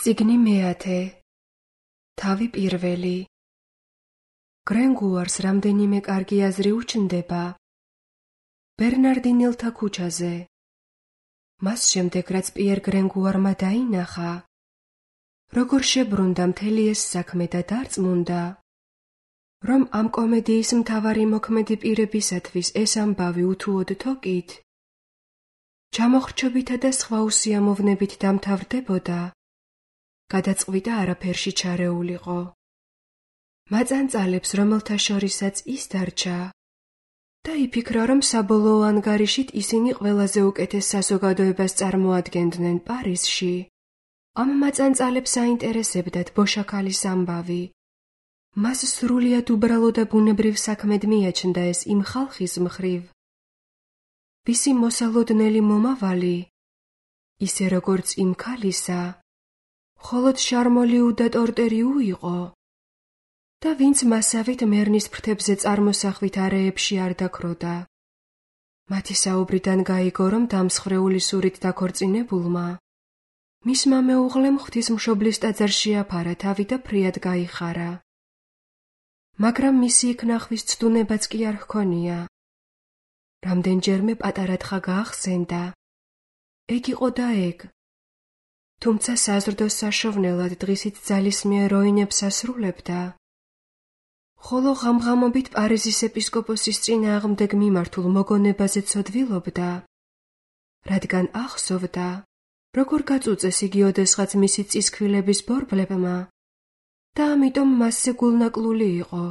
წიგნი მეათე. თავი პირველი. გრენგუარს რამდენიმე კარგი აზრი უჩნდება. ბერნარდინელთა ქუჩაზე. მას შემდეგ, რაც პიერ გრენგუარმა დაინახა, როგორ შებრუნდა მთელი ეს საქმე და დარწმუნდა, რომ ამ კომედიის მთავარი მოქმედი პირებისათვის ეს ამბავი უთუოდ თოკით, ჩამოხრჩობითა და სხვა უსიამოვნებით დამთავრდებოდა, გადაწყვიტა არაფერში ჩარეულიყო. მაწანწალებს, რომელთა შორისაც ის დარჩა, და იფიქრა, რომ საბოლოო ანგარიშით ისინი ყველაზე უკეთეს საზოგადოებას წარმოადგენდნენ პარიზში. ამ მაწანწალებს აინტერესებდათ ბოშაქალის ამბავი. მას სრულიად უბრალო და ბუნებრივ საქმედ მიაჩნდა ეს იმ ხალხის მხრივ, ვისი მოსალოდნელი მომავალი, ისე როგორც იმ ქალისა, მხოლოდ შარმოლიუ და ტორტერიუ იყო და ვინც მასავით მერნის ფრთებზე წარმოსახვით არეებში არ დაქროდა. მათი საუბრიდან გაიგო, რომ დამსხრეული სურით დაქორწინებულმა მისმა მეუღლემ ღვთისმშობლის ტაძარში აფარა თავი და ფრიად გაიხარა. მაგრამ მისი იქ ნახვის ცდუნებაც კი არ ჰქონია. რამდენჯერმე პატარა თხა გაახსენდა. ეგ იყო და ეგ. თუმცა საზრდოს საშოვნელად დღისით ძალისმიერ როინებს ასრულებდა. ხოლო ღამღამობით პარიზის ეპისკოპოსის წინააღმდეგ მიმართულ მოგონებაზე ცოდვილობდა, რადგან ახსოვდა, როგორ გაწუწეს იგი ოდესღაც მისი წისქვილების ბორბლებმა და ამიტომ მასზე გულნაკლული იყო.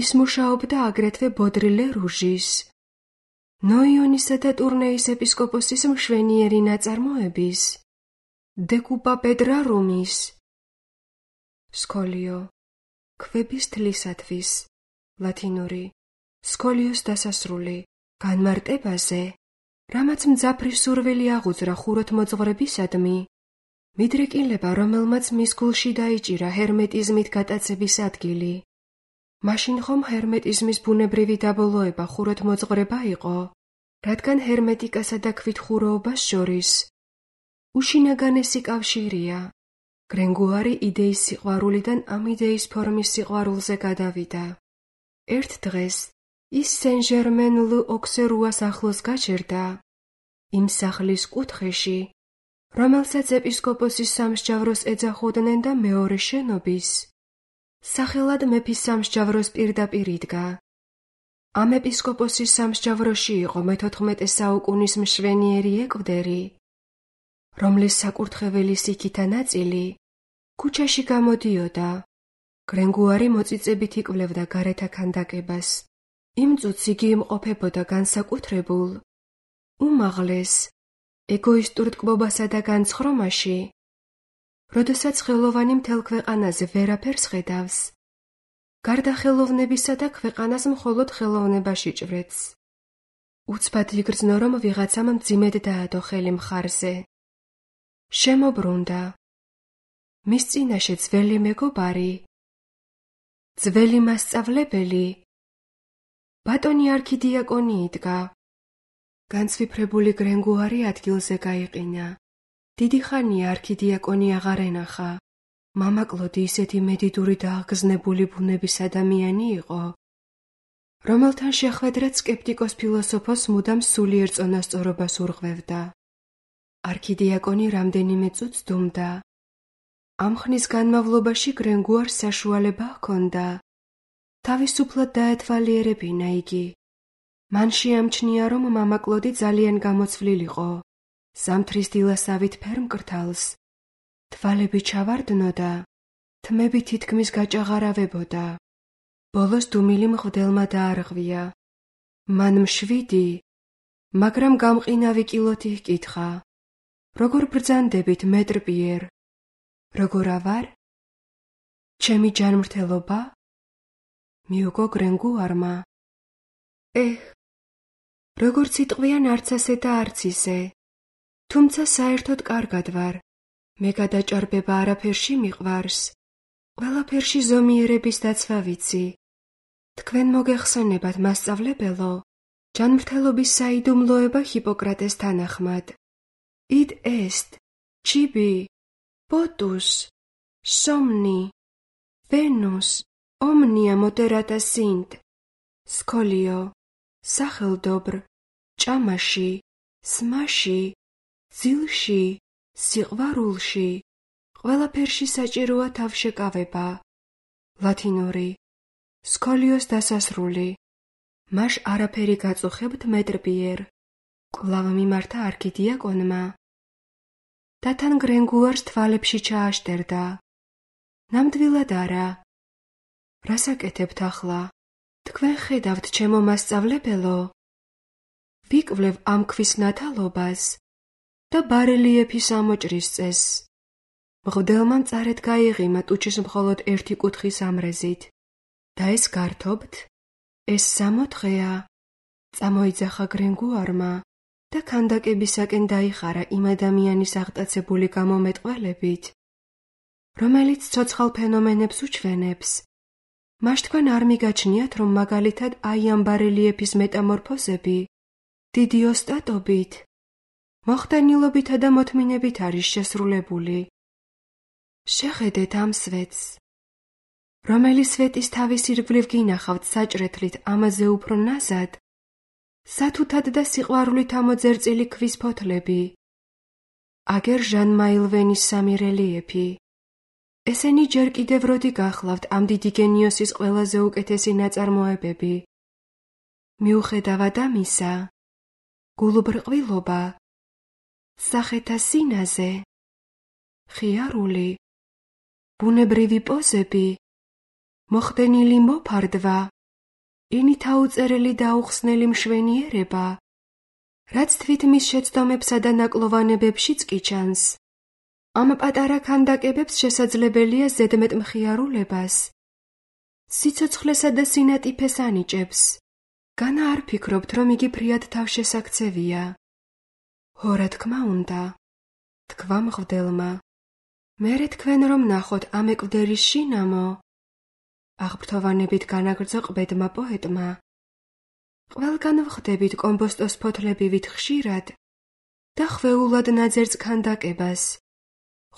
ის მუშაობდა აგრეთვე ბოდრილე რუჟის, ნოიონისა და ტურნეის ეპისკოპოსის მშვენიერი ნაწარმოების, დეკუპა პედრარუმის, სკოლიო, ქვების თლისათვის, ლათინური, სკოლიოს დასასრული, განმარტებაზე, რამაც მძაფრი სურვილი აღუძრა ხუროთმოძღვრებისადმი, მიდრეკილება, რომელმაც მის გულში დაიჭირა ჰერმეტიზმით გატაცების ადგილი. მაშინ ხომ ჰერმეტიზმის ბუნებრივი დაბოლოება ხუროთმოძღვრება იყო, რადგან ჰერმეტიკასა და ქვითხუროობას შორის უშინაგანესი კავშირია. გრენგუარი იდეის სიყვარულიდან ამ იდეის ფორმის სიყვარულზე გადავიდა. ერთ დღეს ის სენ-ჟერმენ-ლ'օქსერუას ახლოს გაჩერდა, იმ სახლის კუთხეში, რომელსაც ეპისკოპოსის სამსჯავროს ეძახოდნენ და მეორე შენობის, სახელად მეფის სამსჯავროს პირდაპირ იდგა. ამ ეპისკოპოსის სამსჯავროში იყო მე-14 საუკუნის მშვენიერი ეკვდერი, რომლის საკურთხეველის იქითა ნაწილი ქუჩაში გამოდიოდა. გრენგუარი მოწიწებით იკვლევდა გარეთა ქანდაკებას. იმ წუთს იგი იმყოფებოდა განსაკუთრებულ, უმაღლეს, ეგოისტურ ტკბობასა და განცხრომაში, როდესაც ხელოვანი მთელ ქვეყანაზე ვერაფერს ხედავს, გარდა ხელოვნებისა და ქვეყანას მხოლოდ ხელოვნებაში ჭვრეტს. უცბად იგრძნო, რომ ვიღაცამ მძიმედ დაადო ხელი მხარზე. შემობრუნდა. მის წინაშე ძველი მეგობარი, ძველი მასწავლებელი, ბატონი არქიდიაკონი იდგა. განცვიფრებული გრენგუარი ადგილზე გაიყინა. დიდი ხანია არქიდიაკონი აღარ ენახა. მამა კლოდი ისეთი მედიდური და აღგზნებული ბუნების ადამიანი იყო, რომელთან შეხვედრად სკეპტიკოს ფილოსოფოს მუდამ სულიერ წონასწორობას ურღვევდა. არქიდიაკონი რამდენიმე წუთს დუმდა. ამ ხნის განმავლობაში გრენგუარს საშუალება ჰქონდა თავისუფლად დაეთვალიერებინა იგი. მან შეამჩნია, რომ მამა კლოდი ძალიან გამოცვლილიყო, ზამთრის დილასავით ფერმკრთალს, თვალები ჩავარდნოდა, თმები თითქმის გაჭაღარავებოდა. ბოლოს დუმილი მღვდელმა დაარღვია. მან მშვიდი, მაგრამ გამყინავი კილოთი ჰკითხა. როგორ ბრძანდებით, მეტრ პიერ? როგორ ავარ? ჩემი ჯანმრთელობა? მიუგო გრენგუარმა. როგორც იტყვიან არც ასე და არც ისე, თუმცა საერთოდ კარგად ვარ. მე გადაჭარბება არაფერში მიყვარს, ყველაფერში ზომიერების დაცვა ვიცი. თქვენ მოგეხსენებათ, მასწავლებელო, ჯანმრთელობის საიდუმლოება ჰიპოკრატეს თანახმად. id est, cibi, Potus, somni, Venus, omnia moderata sint, Scolio, სახელდობრ, ჭამაში, სმაში, ძილში, სიყვარულში, ყველაფერში საჭიროა თავშეკავება. ლათინური, სკოლიოს დასასრული. მას არაფერი გაწუხებთ მეტრპიერ. კვლავ მიმართა არქიდიაკონმა. და თან გრენგუარს თვალებში ჩააშტერდა. ნამდვილად არა. რას აკეთებთ ახლა? თქვენ ხედავთ ჩემო მასწავლებელო? ვიკვლევ ამ ქვის ნათალობას და ბარელიეფის ამოჭრის წესს. მღვდელმა მწარედ გაიღიმა ტუჩის მხოლოდ ერთი კუთხის ამრეზით. და ეს გართობთ? ეს 60 დღეა. წამოიძახა გრენგუარმა და ქანდაკებისაკენ დაიხარა იმ ადამიანის აღტაცებული გამომეტყველებით, რომელიც ცოცხალ ფენომენებს უჩვენებს. მას თქვენ არ მიგაჩნიათ, რომ მაგალითად აი ამ ბარელიეფის მეტამორფოზები დიდი ოსტატობით, მოხდენილობითა და მოთმინებით არის შესრულებული. შეხედეთ ამ სვეტს. რომელი სვეტის თავის ირგვლივ გინახავთ საჭრეთლით ამაზე უფრო ნაზად, სათუთად და სიყვარულით ამოძერწილი ქვის ფოთლები. აგერ ჟან მაილვენის 3 რელიეფი. ესენი ჯერ კიდევ როდი გახლავთ ამ დიდი გენიოსის ყველაზე უკეთესი ნაწარმოებები. მიუხედავად ამისა, გულუბრყვილობა, სახეთა სინაზე, ხიარული, ბუნებრივი პოზები, მოხდენილი მოფარდვა, ინით აუწერელი და აუხსნელი მშვენიერება, რაც თვით მის შეცდომებსა და ნაკლოვანებებშიც კი ჩანს. ამ პატარა ქანდაკებებს შესაძლებელია ზედმეტ მხიარულებას, სიცოცხლესა და სინატიფეს ანიჭებს. განა არ ფიქრობთ, რომ იგი ფრიად თავშესაქცევია? "ხო, რა თქმა უნდა", თქვა მღვდელმა. "მერე თქვენ რომ ნახოთ ამ ეკვდერის შინამო", აღფრთოვანებით განაგრძო ყბედმა პოეტმა. "ყველგან ვხვდებით კომბოსტოს ფოთლებივით ხშირად და ხვეულად ნაძერწ ქანდაკებას,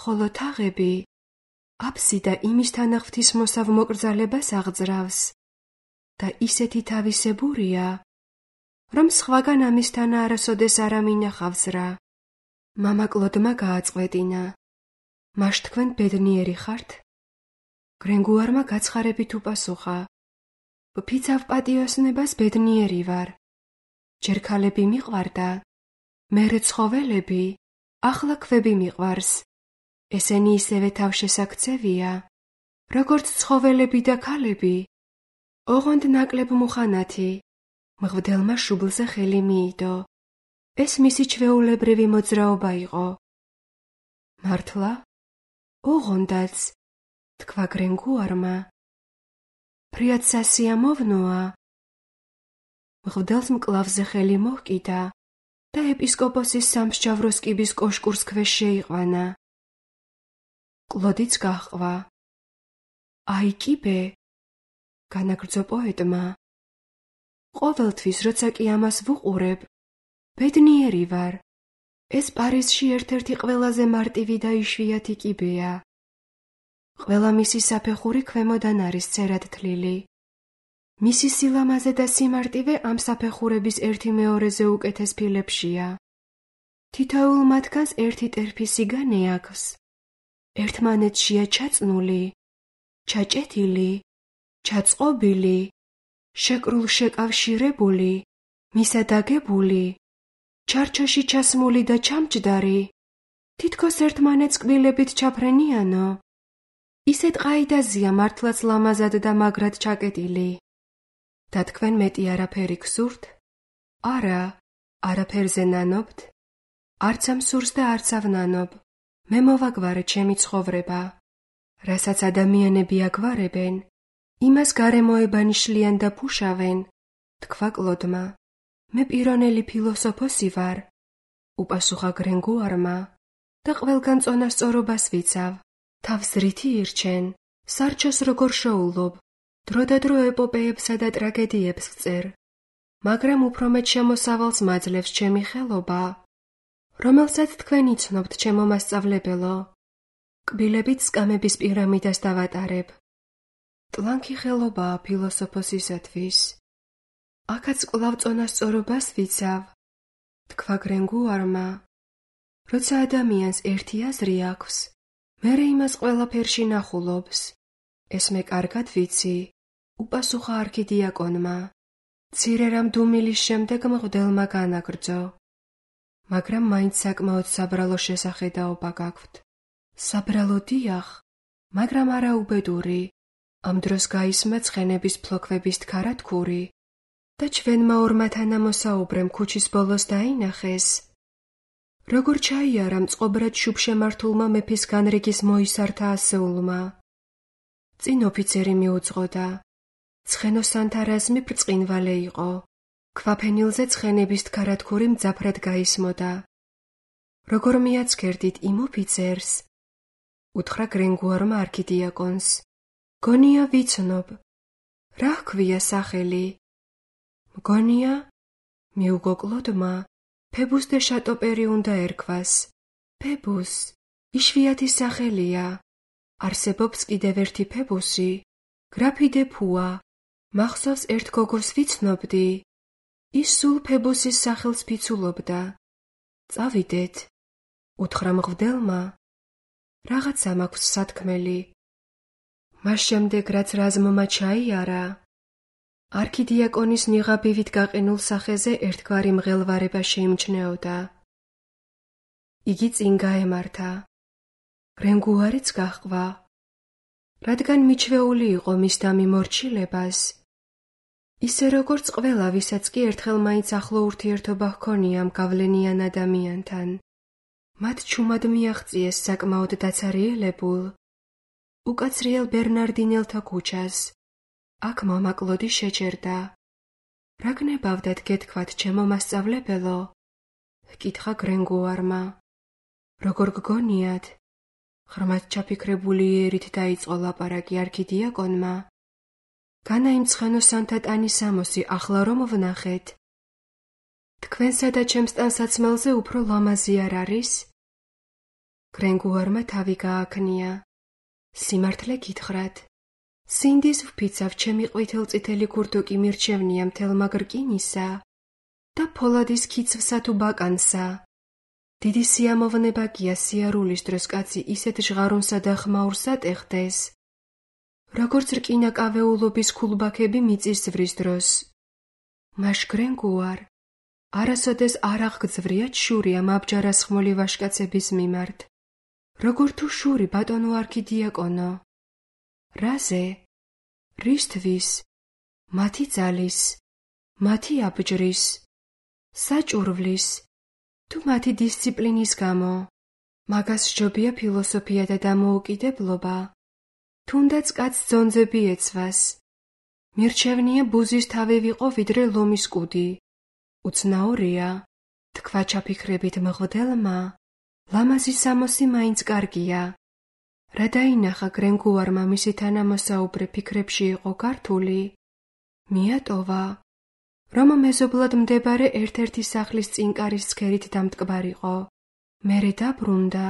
ხოლო თაღები, აფსიდა იმის თანახმთის მოსავ მოკრძალებას აღძრავს და ისეთი თავისებურია, რომ სხვაგან ამისთან არასოდეს არ ამინახავს რა." მამა კლოდმა გააწყვეტინა. "მაშ თქვენ ბედნიერი ხართ?" გრენგუარმა გაცხარებით უპასუხა. "ვფიცავ პატიოსნებას ბედნიერი ვარ. ჯერ ქალები მიყვარდა, მერე ცხოველები, ახლა ქვები მიყვარს. ესენი ისევე თავშესაქცევია, როგორც ცხოველები და ქალები. ოღონდ ნაკლებ მუხანათი." მღვდელმა შუბლზე ხელი მიიდო. ეს მისი ჩვეულებრივი მოძრაობა იყო. "მართლა? ოღონდაც", თქვა გრენგუარმა. "ფრიად სასიამოვნოა." მღვდელს მკლავზე ხელი მოჰკიდა და ეპისკოპოსის სამსჯავროს კიბის კოშკურს ქვეშ შეიყვანა. კლოდიც გაჰყვა. "აი კიბე", განაგრძო პოეტმა. "ყოველთვის, როცა კი ამას ვუყურებ, ბედნიერი ვარ. ეს პარიზში ერთ-ერთი ყველაზე მარტივი და იშვიათი კიბეა. ყველა მისი საფეხური ქვემოდან არის წერად თლილი. მისი სილამაზე და სიმარტივე ამ საფეხურების 1/2-ზე უკეთეს ფილებშია. თითოეულ მათგანს ერთი ტერფი სიგანე აქვს. ერთმანეთშია ჩაწნული, ჩაჭეთილი, ჩაწყობილი, შეკრულ-შეკავშირებული, მისადაგებული, ჩარჩოში ჩასმული და ჩამჯდარი, თითქოს ერთმანეთს კბილებით ჩაფრენიანო. ისეთ ყაიდაზია მართლაც ლამაზად და მაგრად ჩაკეტილი. და თქვენ მეტი არაფერი გსურთ? არა, არაფერზე ნანობთ? არც ამ სურს და არც ავნანობ. მე მოვაგვარე ჩემი ცხოვრება. რასაც ადამიანები აგვარებენ, იმას გარემოებანი შლიან და ფუშავენ, თქვა კლოდმა. მე პირონელი ფილოსოფოსი ვარ, უპასუხა გრენგუარმა, და ყველგან წონასწორობას ვიცავ. თავს რითი ირჩენ, სარჩოს როგორ შოულობ, დროდადრო ეპოპეებსა და ტრაგედიებს ვწერ, მაგრამ უფრო მეტ შემოსავალს მაძლევს ჩემი ხელობა, რომელსაც თქვენ იცნობთ, ჩემო მასწავლებელო. კბილებით სკამების პირამიდას დავატარებ. ტლანქი ხელობაა ფილოსოფოსისათვის. აქაც კვლავ წონასწორობას ვიცავ, თქვა გრენგუარმა. როცა ადამიანს ერთი აზრი აქვს, მერე იმას ყველაფერში ნახულობს. ეს მე კარგად ვიცი, უპასუხა არქიდიაკონმა. მცირე რამ დუმილის შემდეგ მღვდელმა განაგრძო. მაგრამ მაინც საკმაოდ საბრალო შესახედაობა გაქვთ. საბრალო დიახ, მაგრამ არა უბედური. ამ დროს გაისმა ცხენების ფლოქვების თქარათქური და ჩვენმა ორმა თანამოსაუბრემ ქუჩის ბოლოს დაინახეს, როგორ ჩაიარა მწყობრად შუბშემართულმა მეფის განრიგის მოისართა ასეულმა. წინ ოფიცერი მიუძღოდა. ცხენოსანთა რაზმი ბრწყინვალე იყო. ქვაფენილზე ცხენების თქარათქური მძაფრად გაისმოდა. როგორ მიაცქერდით იმ ოფიცერს? უთხრა გრენგუარმა არქიდიაკონს. მგონია ვიცნობ. რა ჰქვია სახელი? მგონია? მიუგოკლოდმა ფებუს დე შატოპერი უნდა ერქვას. ფებუს, იშვიათი სახელია. არსებობს კიდევ ერთი ფებუსი, გრაფი დე ფუა. მახსოვს ერთ გოგოს ვიცნობდი. ის სულ ფებუსის სახელს ფიცულობდა. წავიდეთ, უთხრა მღვდელმა. რაღაცა მაქვს სათქმელი. მას შემდეგ რაც რაზმმა ჩაიარა, არქიდიაკონის ნიღაბივით გაყინულ სახეზე ერთგვარი მღელვარება შეიმჩნეოდა. იგი წინ გაემართა. გრენგუარიც გაჰყვა. რადგან მიჩვეული იყო მის დამიმორჩილებას, ისე როგორც ყველა, ვისაც კი ერთხელ მაინც ახლო ურთიერთობა ჰქონია ამ გავლენიან ადამიანთან, მათ ჩუმად მიაღწიეს საკმაოდ დაცარიელებულ, უკაცრიელ ბერნარდინელთა ქუჩას. აქ მომაკლოდი შეჯერდა. რა გნებავდათ გეთქვათ, ჩემო მასწავლებელო? ჰკითხა გრენგუარმა. როგორ გგონიათ? ღრმად ჩაფიქრებული იერით დაიწყო ლაპარაკი არქიდიაკონმა. განა იმ ცხენოსანთა ტანის ამოსი ახლა რომ ვნახეთ. თქვენსა და ჩემს ტანსაცმელზე უფრო ლამაზი არ არის? გრენგუარმა თავი გააქნია. სიმართლე გითხრათ, სინდის ვფიცავ ჩემი ყვითელწითელი ქურდუკი მირჩევნია მთელ მაგრკინისა და ფოლადის ქიცვსა თუ ბაკანსა. დიდი სიამოვნება გია სიარულის დროს კაცი ისეთ ჟღარუნსა და ხმაურს ატეხდეს, როგორც რკინაკავეულობის ქულბაქები მიწისძვრის დროს. მაშ გრენგუარ, არასოდეს არ აღგძვრიათ შური ამ აბჯარასხმული ვაჟკაცების მიმართ, როგორ თუ შური ბატონო არქიდიაკონო. რაზე? რისთვის? მათი ძალის, მათი აბჯრის, საჭურვლის, თუ მათი დისციპლინის გამო. მაგას სჯობია ფილოსოფია და დამოუკიდებლობა. თუნდაც კაცს ძონძები ეცვას. მირჩევნია ბუზის თავი ვიყო ვიდრე ლომის კუდი. უცნაურია, თქვა ჩაფიქრებით მღვდელმა. ლამაზი სამოსი მაინც კარგია. რა დაინახა გრენგუარმა მისი თანამოსაუბრე ფიქრებში იყო გართული, მიატოვა, რომ მეზობლად მდებარე ერთ-ერთი სახლის წინკარის ცქერით დამტკბარიყო. მერე დაბრუნდა.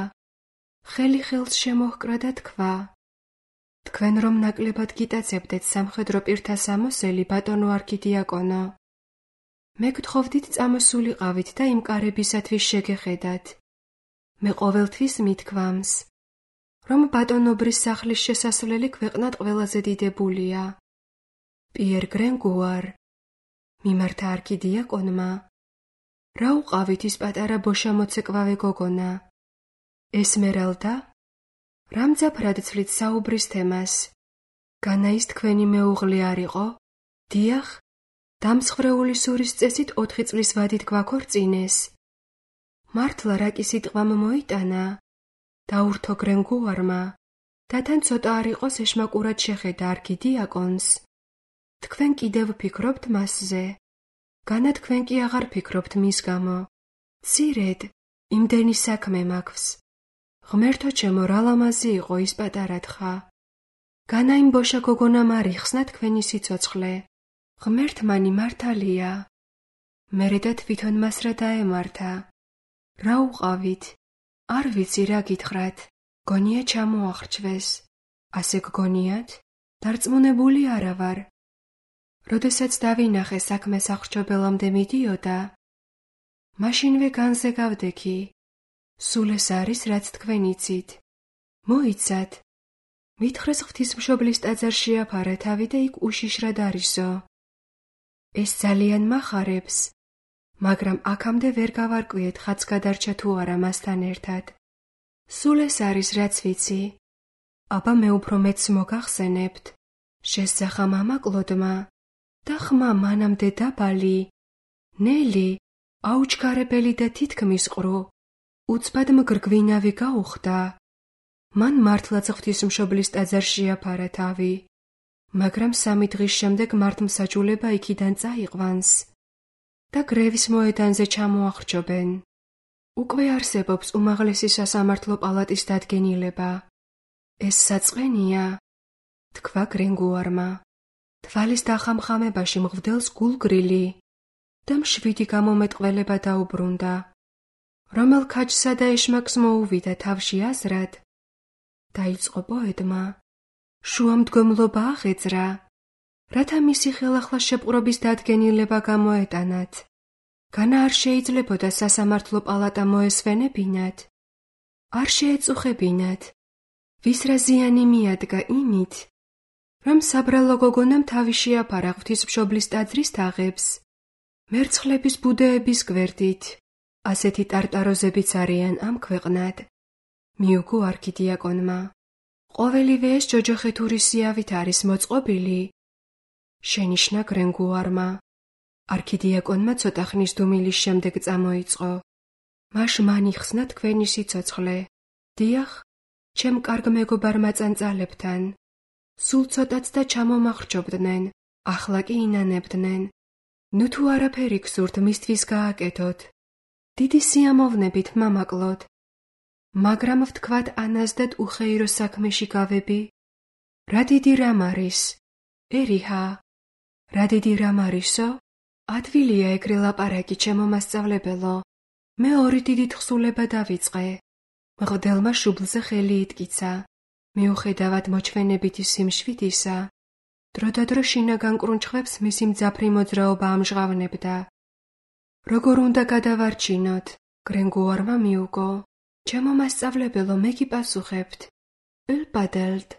ხელი ხელს შემოჰკრა და თქვა, თქვენ რომ ნაკლებად გიტაცებდეთ სამხედრო პირთა სამოსელი, ბატონო არქიდიაკონო, მე გთხოვდით წამოსულიყავით და იმ კარებისათვის შეგეხედათ. მე ყოველთვის მithქვამს, რომ ბატონობრის სახლის შესასვლელი ქვეყნად ყველაზე დიდებულია. პიერ გრენგუარ, მიმართა არქიდიაკონმა, რა უყავით ის პატარა ბოშამოცეკვავე გოგონა? ესმერალდა? რამძაფრად ცვლით საუბრის თემას? განა ის თქვენი მეუღლე არ იყო? დიახ, დამსხვრეული სურის წესით 4 წლის ვადით გვაქორწინეს. მართლა რაკი სიტყვამ მოიტანა? დაურთო გრენგუარმა და თან ცოტა არ იყოს ეშმაკურად შეხედა არქიდიაკონს. თქვენ კიდევ ფიქრობთ მასზე? განა თქვენ კი აღარ ფიქრობთ მის გამო. მცირედ, იმდენი საქმე მაქვს. ღმერთო ჩემო, რა ლამაზი იყო ის პატარა თხა. განა იმ ბოშა გოგონამ არ იხსნა თქვენი სიცოცხლე. ღმერთმანი მართალია. მერე და თვითონ მას რა დაემართა. რა უყავით? არ ვიცი რა გითხრათ. გონია ჩამოახრჩვეს. ასე გგონიათ? დარწმუნებული არა ვარ. როდესაც დავინახე საქმე სახრჩობელამდე მიდიოდა, მაშინვე განზე გავდექი. სულ ეს არის, რაც თქვენ იცით. მოიცათ. მითხრეს ღვთისმშობლის ტაძარში აფარა თავი და იქ უშიშრად არისო. ეს ძალიან მახარებს, მაგრამ აქამდე ვერ გავარკვიეთ ხაც გადარჩა თუ არა მასთან ერთად. სულ ეს არის, რაც ვიცი. აბა მე უფრო მეც მოგახსენებთ. შესძახა მამა კლოდმა და ხმა მანამდე დაბალი, ნელი, აუჩქარებელი და თითქმის ყრუ, უცბად მგრგვინავი გაუხდა. მან მართლაც ღვთისმშობლის ტაძარში აფარა თავი, მაგრამ 3 დღის შემდეგ მართლმსაჯულება იქიდან წაიყვანს და გრევის მოედანზე ჩამოახრჩობენ. უკვე არსებობს უმაღლესი სასამართლო პალატის დადგენილება. ეს საწყენია, თქვა გრენგუარმა. თვალის დახამხამებაში მღვდელს გულგრილი და მშვიდი გამომეტყველება დაუბრუნდა. რომელ ქაჯსა და ეშმაკს მოუვიდა თავში აზრად, დაიწყო პოეტმა. შუამდგომლობა აღეძრა, რათა მისი ხელახლა შეპყრობის დადგენილება გამოეტანათ. განა არ შეიძლებოდა სასამართლო პალატა მოესვენებინათ, არ შეეწუხებინათ, ვის რა ზიანი მიადგა იმით, რომ საბრალო გოგონამ თავი შეაფარა ღვთისმშობლის ტაძრის თაღებს, მერცხლების ბუდეების გვერდით. ასეთი ტარტაროზებიც არიან ამ ქვეყნად. მიუგო არქიდიაკონმა. ყოველივე ეს ჯოჯოხეთური სიავით არის მოწყობილი. შენიშნა გრენგუარმა. არქიდიაკონმა ცოტა ხნის დუმილის შემდეგ წამოიწყო. მაშ მან იხსნა თქვენი სიცოცხლე. დიახ, ჩემ კარგ მეგობარმა წანწალებთან. სულ ცოტაც და ჩამომახრჩობდნენ, ახლა კი ინანებდნენ. ნუ თუ არაფერი გსურთ მისთვის გააკეთოთ. დიდი სიამოვნებით მამაკლოდ. მაგრამ ვთქვათ ანაზდად უხეირო საქმეში გავები. რა დიდი რამ არის? ერიჰა. რა დიდი რამ არისო? ადვილია ეგრე ლაპარაკი, ჩემო მასწავლებელო. მე 2 დიდი თხზულება დავიწყე. მღვდელმა შუბლზე ხელი იტკიცა. მიუხედავად მოჩვენებითი სიმშვიდისა, დროდადრო შინაგან კრუნჩხვებს მისი მძაფრი მოძრაობა ამჟღავნებდა. როგორ უნდა გადავარჩინოთ? გრენგუარმა მიუგო. ჩემო მასწავლებელო, მე გიპასუხებთ. ელპადელდ.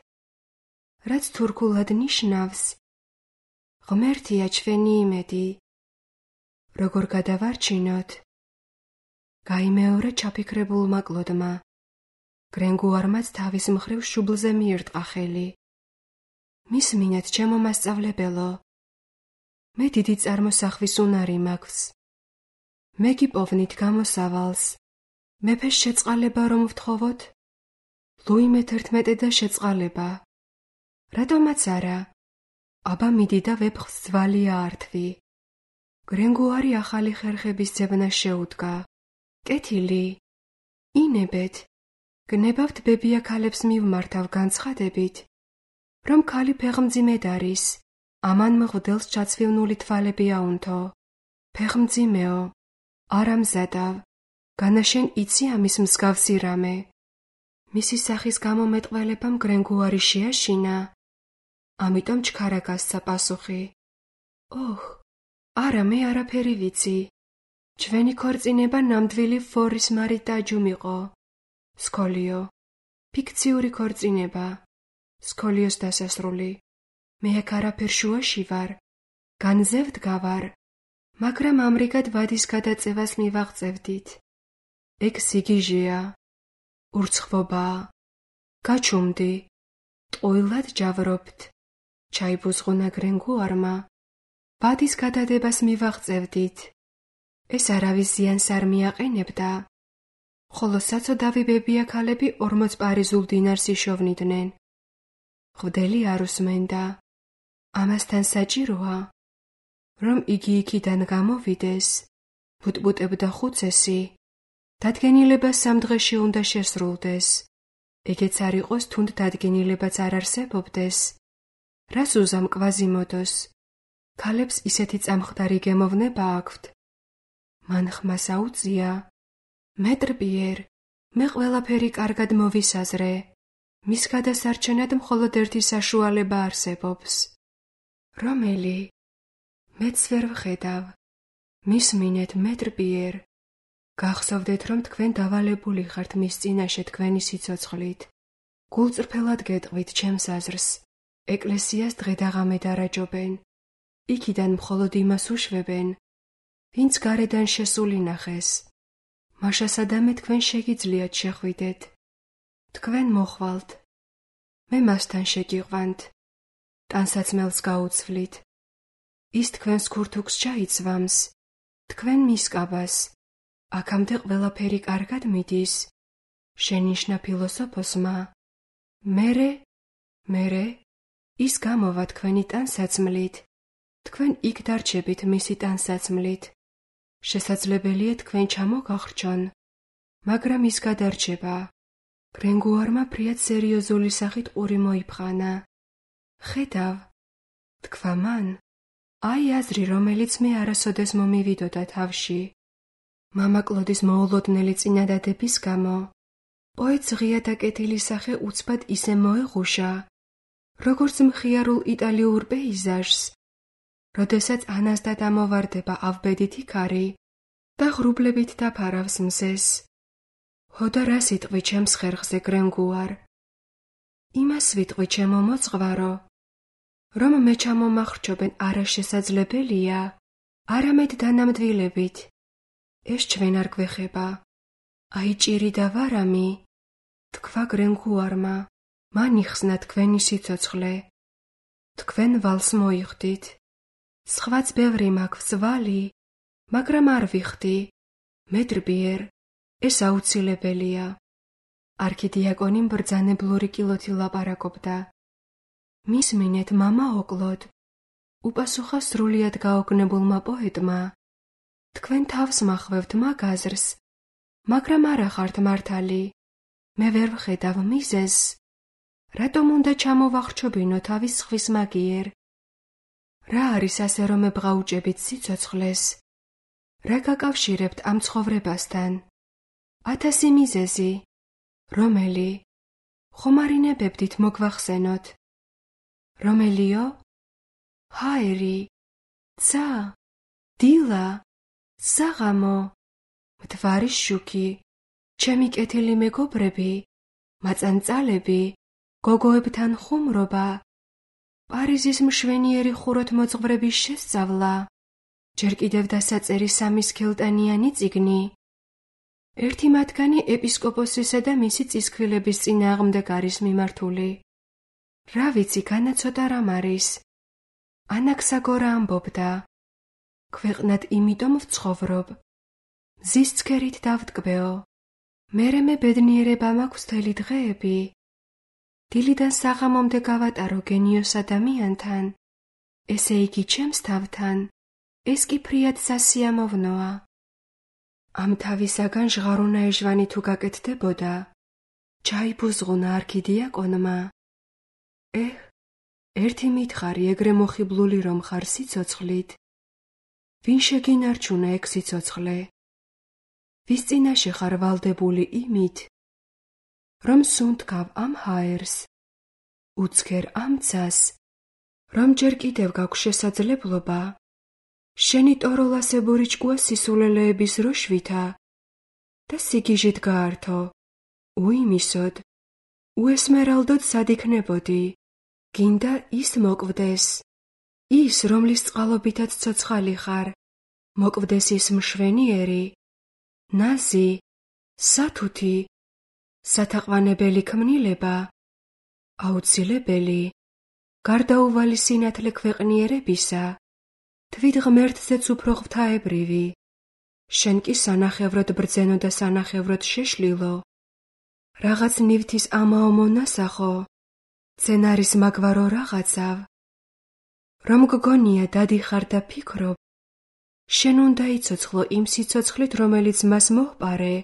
რაც თურქულად ნიშნავს, ღმერთია ჩვენი იმედი. როგორ გადავარჩინოთ? გაიმეორა ჩაფიქრებულმა კლოდმა. გრენგუარმაც თავის მხრივ შუბლზე მიირტყა ხელი. მისმინეთ, ჩემო მასწავლებელო, მე დიდი წარმოსახვის უნარი მაქვს. მე გიპოვნით გამოსავალს. მეფეს შეწყალება რომ ვთხოვოთ? ლუი მე-11 და შეწყალება. რატომაც არა? აბა მიდი და ვეფხს ძვალი აართვი. გრენგუარი ახალი ხერხების ძებნას შეუდგა. კეთილი. ინებეთ. გნებავთ ბებია ქალებს მივმართავ განცხადებით, რომ ქალი ფეხმძიმედ არის, ამან მღვდელს ჩაცვივნული თვალები აუნთო. ფეხმძიმეო, არა მზადავ, განაშენ იცი ამის მსგავსი რამე. მისი სახის გამომეტყველებამ გრენგუარი შეაშინა, ამიტომ ჩქარა გასცა პასუხი. ოჰ, არა, მე არაფერი ვიცი. ჩვენი ქორწინება ნამდვილი ფორის მარიტაჯუმ იყო. სკოლიო. ფიქციური ქორწინება. სკოლიოს დასასრული. მე აქ არაფერ შუაში ვარ. განზე ვდგავარ. მაგრამ ამრიგად ვადის გადაწევას მივაღწევდით. ეგ სიგიჟეა. ურცხვობაა. გაჩუმდი. ტყუილად ჯავრობთ. ჩაიბუზღუნა გრენგუარმა. ვადის გადადებას მივაღწევდით. ეს არავის ზიანს არ მიაყენებდა. ხოლო საცოდავი ბებია ქალები 40 პარიზულ დინარს იშოვნიდნენ. ღვდელი არ უსმენდა. ამასთან საჭიროა, რომ იგი იქიდან გამოვიდეს, ბუტბუტებდა ხუცესი, დადგენილება 3 დღეში უნდა შესრულდეს. ეგეც არ იყოს თუნდ დადგენილებაც არ არსებობდეს. რას უზამ კვაზიმოდოს? ქალებს ისეთი წამხდარი გემოვნება აქვთ. მან ხმას აუწია. მეტრ პიერ, მე ყველაფერი კარგად მოვისაზრე. მის გადასარჩენად მხოლოდ ერთი საშუალება არსებობს. რომელი? მეც ვერ ვხედავ. მისმინეთ მეტრ პიერ. გახსოვდეთ, რომ თქვენ დავალებული ხართ მის წინაშე თქვენი სიცოცხლით. გულწრფელად გეტყვით ჩემს აზრს. ეკლესიას დღე-დაღამე დარაჯობენ. იქიდან მხოლოდ იმას უშვებენ, ვინც გარედან შესული ნახეს. მაშასადამე თქვენ შეგიძლიათ შეხვიდეთ. თქვენ მოხვალთ. მე მასთან შეგიყვანთ. ტანსაცმელს გაუცვლით. ის თქვენს ქურთუქს ჩაიცვამს. თქვენ მისკაბას. აქამდე ყველაფერი კარგად მიდის. შენიშნა ფილოსოფოსმა. მერე ის გამოვა თქვენი ტანსაცმლით. თქვენ იქ დარჩებით მისი ტანსაცმლით. შესაძლებელია თქვენ ჩამოგახრჩონ, მაგრამ ის გადარჩება. გრენგუარმა ფრიად სერიოზული სახით ყური მოიფხანა. ხედავ, თქვა მან, აი აზრი, რომელიც მე არასოდეს მომივიდოდა თავში. მამა კლოდის მოულოდნელი წინადადების გამო პოეტს ღია დაკეტილი სახე უცბად ისე მოეღუშა, როგორც მხიარულ იტალიურ პეიზაჟს, როდესაც ანასდა დამოვარდება ავბედითი ქარი და ღრუბლებით დაფარავს მზეს. ჰოდა რას იტყვი ჩემს ხერხზე, გრენგუარ? იმას ვიტყვი, ჩემო მოძღვარო, რომ მე ჩამომახრჩობენ არაშესაძლებელია, არამედ დანამდვილებით. ეს ჩვენ არ გვეხება. აი ჭირი და ვარამი, თქვა გრენგუარმა, მან იხსნა თქვენი სიცოცხლე. თქვენ ვალს მოიხდით. სხვაც ბევრი მაქვს ვალი, მაგრამ არ ვიხდი. მეტრ პიერ, ეს აუცილებელია. არქიდიაკონი ბრძანებლური კილოთი ლაპარაკობდა. მისმინეთ, მამა ოკლოდ, უპასუხა სრულიად გაოგნებულმა პოეტმა. თქვენ თავს მახვევთ მაგ აზრს, მაგრამ არა ხართ მართალი. მე ვერ ვხედავ მიზეზს. რატომ უნდა ჩამოვახრჩობინო თავის ხვის მაგიერ? რა არის ასე რომ ებღაუჭებით სიცოცხლეს? რა გაკავშირებთ ამ ცხოვრებასთან? 1000 მიზეზი. რომელი? ხომ არ ინებებდით მოგვახსენოთ? რომელიო? ჰაერი, ცა, დილა, საღამო, მთვარის შუქი, ჩემი კეთილი მეგობრები, მაწანწალები, გოგოებთან ხუმრობა, პარიზის მშვენიერი ხუროთმოძღვრების შესწავლა, ჯერ კიდევ დასაწერი 3 სქელტანიანი წიგნი. ერთი მათგანი ეპისკოპოსისა და მისი წისქვილების წინააღმდეგ არის მიმართული. რა ვიცი, განაცოდა რამ არის. ანაქსაგორა ამბობდა. ქვეყნად იმიტომ ვცხოვრობ. მზის ცქერით დავტკბეო. მერე მე ბედნიერება მაქვს მთელი დღეები. დილიდან საღამომდე გავატარო გენიოს ადამიანთან. ესე იგი ჩემს თავთან. ეს კი ფრიად სასიამოვნოა. ამ თავისაგან ჟღარუნა ეჟვანი თუ გაკეთდებოდა, ჩაიბუზღუნა არქიდიაკონმა. ერთი მითხარი ეგრე მოხიბლული რომ ხარ სიცოცხლით. ვინ შეგინარჩუნა ეგ სიცოცხლე? ვის წინაშე ხარ ვალდებული იმით, რომ სუნთქავ ამ ჰაერს, უცქერ ამ ცას, რომ ჯერ კიდევ გაქვს შესაძლებლობა, შენი ტოროლასებური ჭკუა სისულელეების როშვითა და სიგიჟით გაართო, უიმისოდ, უესმერალდოდ სად იქნებოდი, გინდა ის მოკვდეს, ის, რომლის წყალობითაც ცოცხალი ხარ, მოკვდეს ის მშვენიერი, ნაზი, სათუთი, სათაყვანებელი ქმნილება, აუცილებელი, გარდაუვალი სინათლე ქვეყნიერებისა, თვით ღმერთზეც უფრო ღვთაებრივი, შენ კი სანახევროდ ბრძენო და სანახევროდ შეშლილო, რაღაც ნივთის ამაო მონასახო, სცენარის მაგვარო რაღაცავ, რომ გგონია დადიხარ და ფიქრობ, შენ უნდა იცოცხლო იმ სიცოცხლით, რომელიც მას მოჰპარე,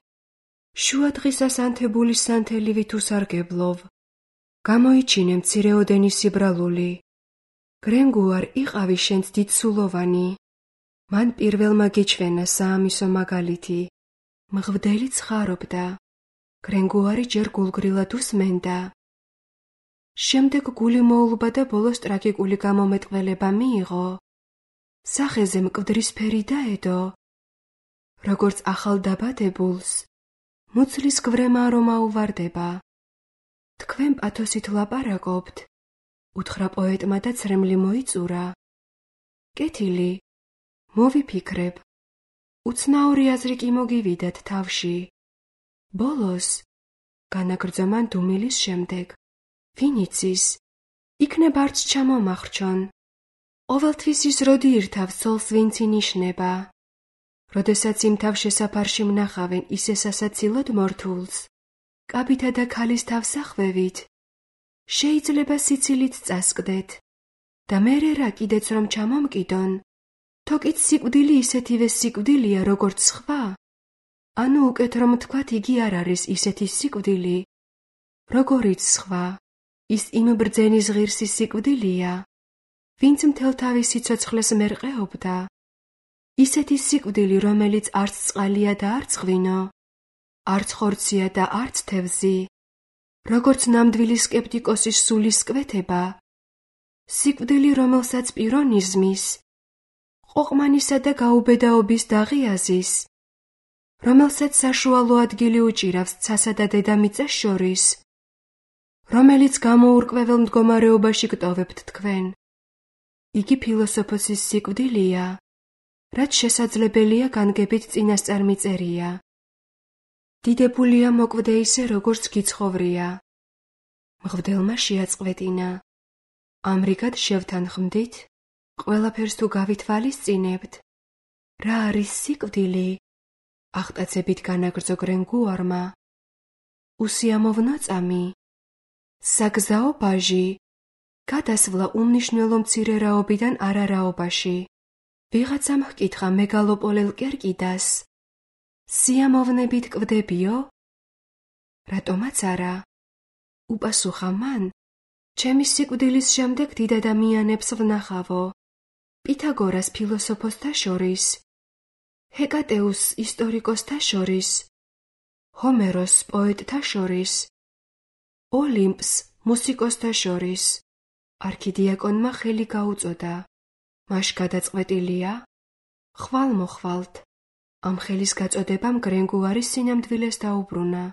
შუადღისას ანთებული სანთელივით უსარგებლოვ, გამოიჩინე მცირეოდენი სიბრალული. გრენგუარ იყავი შენც დიდსულოვანი. მან პირველმა გიჩვენა საამისო მაგალითი. მღვდელიც ხარობდა. გრენგუარი ჯერ გულგრილად უსმენდა. შემდეგ გული მოულბა და ბოლოს ტრაგიკული გამომეტყველება მიიღო. სახეზე მკვდრისფერი დაედო. როგორც ახალ დაბადებულს, მუცლის გვრემა რომ აუვარდება. თქვენ პათოსით ლაპარაკობთ, უთხრა პოეტმა და ცრემლი მოიწურა. კეთილი, მოვიფიქრებ. უცნაური აზრი კი მოგივიდათ თავში. ბოლოს, განაგრძო მან დუმილის შემდეგ, ვინ იცის, იქნებ არც ჩამომახრჩონ. ყოველთვის ის როდი ირთავს ცოლს ვინც ინიშნება. როდესაც იმ თავშესაფარში მნახავენ ისე სასაცილოდ მორთულს, კაბითა და ქალის თავს ახვევით, შეიძლება სიცილით წასკდეთ და მერე რა კიდეც რომ ჩამომკიდონ, თოკიც სიკვდილი ისეთივე სიკვდილია როგორც სხვა, ანუ უკეთ რომ თქვათ იგი არ არის ისეთი სიკვდილი, როგორიც სხვა, ის იმ ბრძენის ღირსი სიკვდილია, ვინც მთელ თავის სიცოცხლეს მერყეობდა, ისეთი სიკვდილი, რომელიც არც წყალია და არც ღვინო, არც ხორცია და არც თევზი, როგორც ნამდვილი სკეპტიკოსის სულის კვეთება, სიკვდილი, რომელსაც პირონიზმის, ყოყმანისა და გაუბედაობის დაღიაზის, რომელსაც საშუალო ადგილი უჭირავს ცასა და დედამიწას შორის, რომელიც გამოურკვეველ მდგომარეობაში გტოვებთ თქვენ. იგი ფილოსოფოსის სიკვდილია, რაც შესაძლებელია განგებით წინასწარ მიწერია. დიდებულია მოკვდე ისე, როგორც გიცხოვრია. მღვდელმა შეაწყვეტინა. ამრიგად შევთანხმდით, ყველაფერს თუ გავითვალისწინებთ, რა არის სიკვდილი? აღტაცებით განაგრძო გრენგუარმა. უსიამოვნო წამი, საგზაო ბაჟი, გადასვლა უმნიშვნელო მცირერაობიდან არარაობაში. ვიღაცამ ჰკითხა მეგალოპოლელ კერკიდას, სიამოვნებით კვდებიო? რატომაც არა, უპასუხა მან, ჩემი სიკვდილის შემდეგ დიდ ადამიანებს ვნახავო, პითაგორას ფილოსოფოსთა შორის, ჰეკატეუსს ისტორიკოსთა შორის, ჰომეროს პოეტთა შორის, ოლიმპს მუსიკოსთა შორის. არქიდიაკონმა ხელი გაუწოდა. მაშ გადაწყვეტილია, ხვალ-მოხვალთ. ამ ხელის გაწოდებამ გრენგუარის სინამდვილეს დაუბრუნა.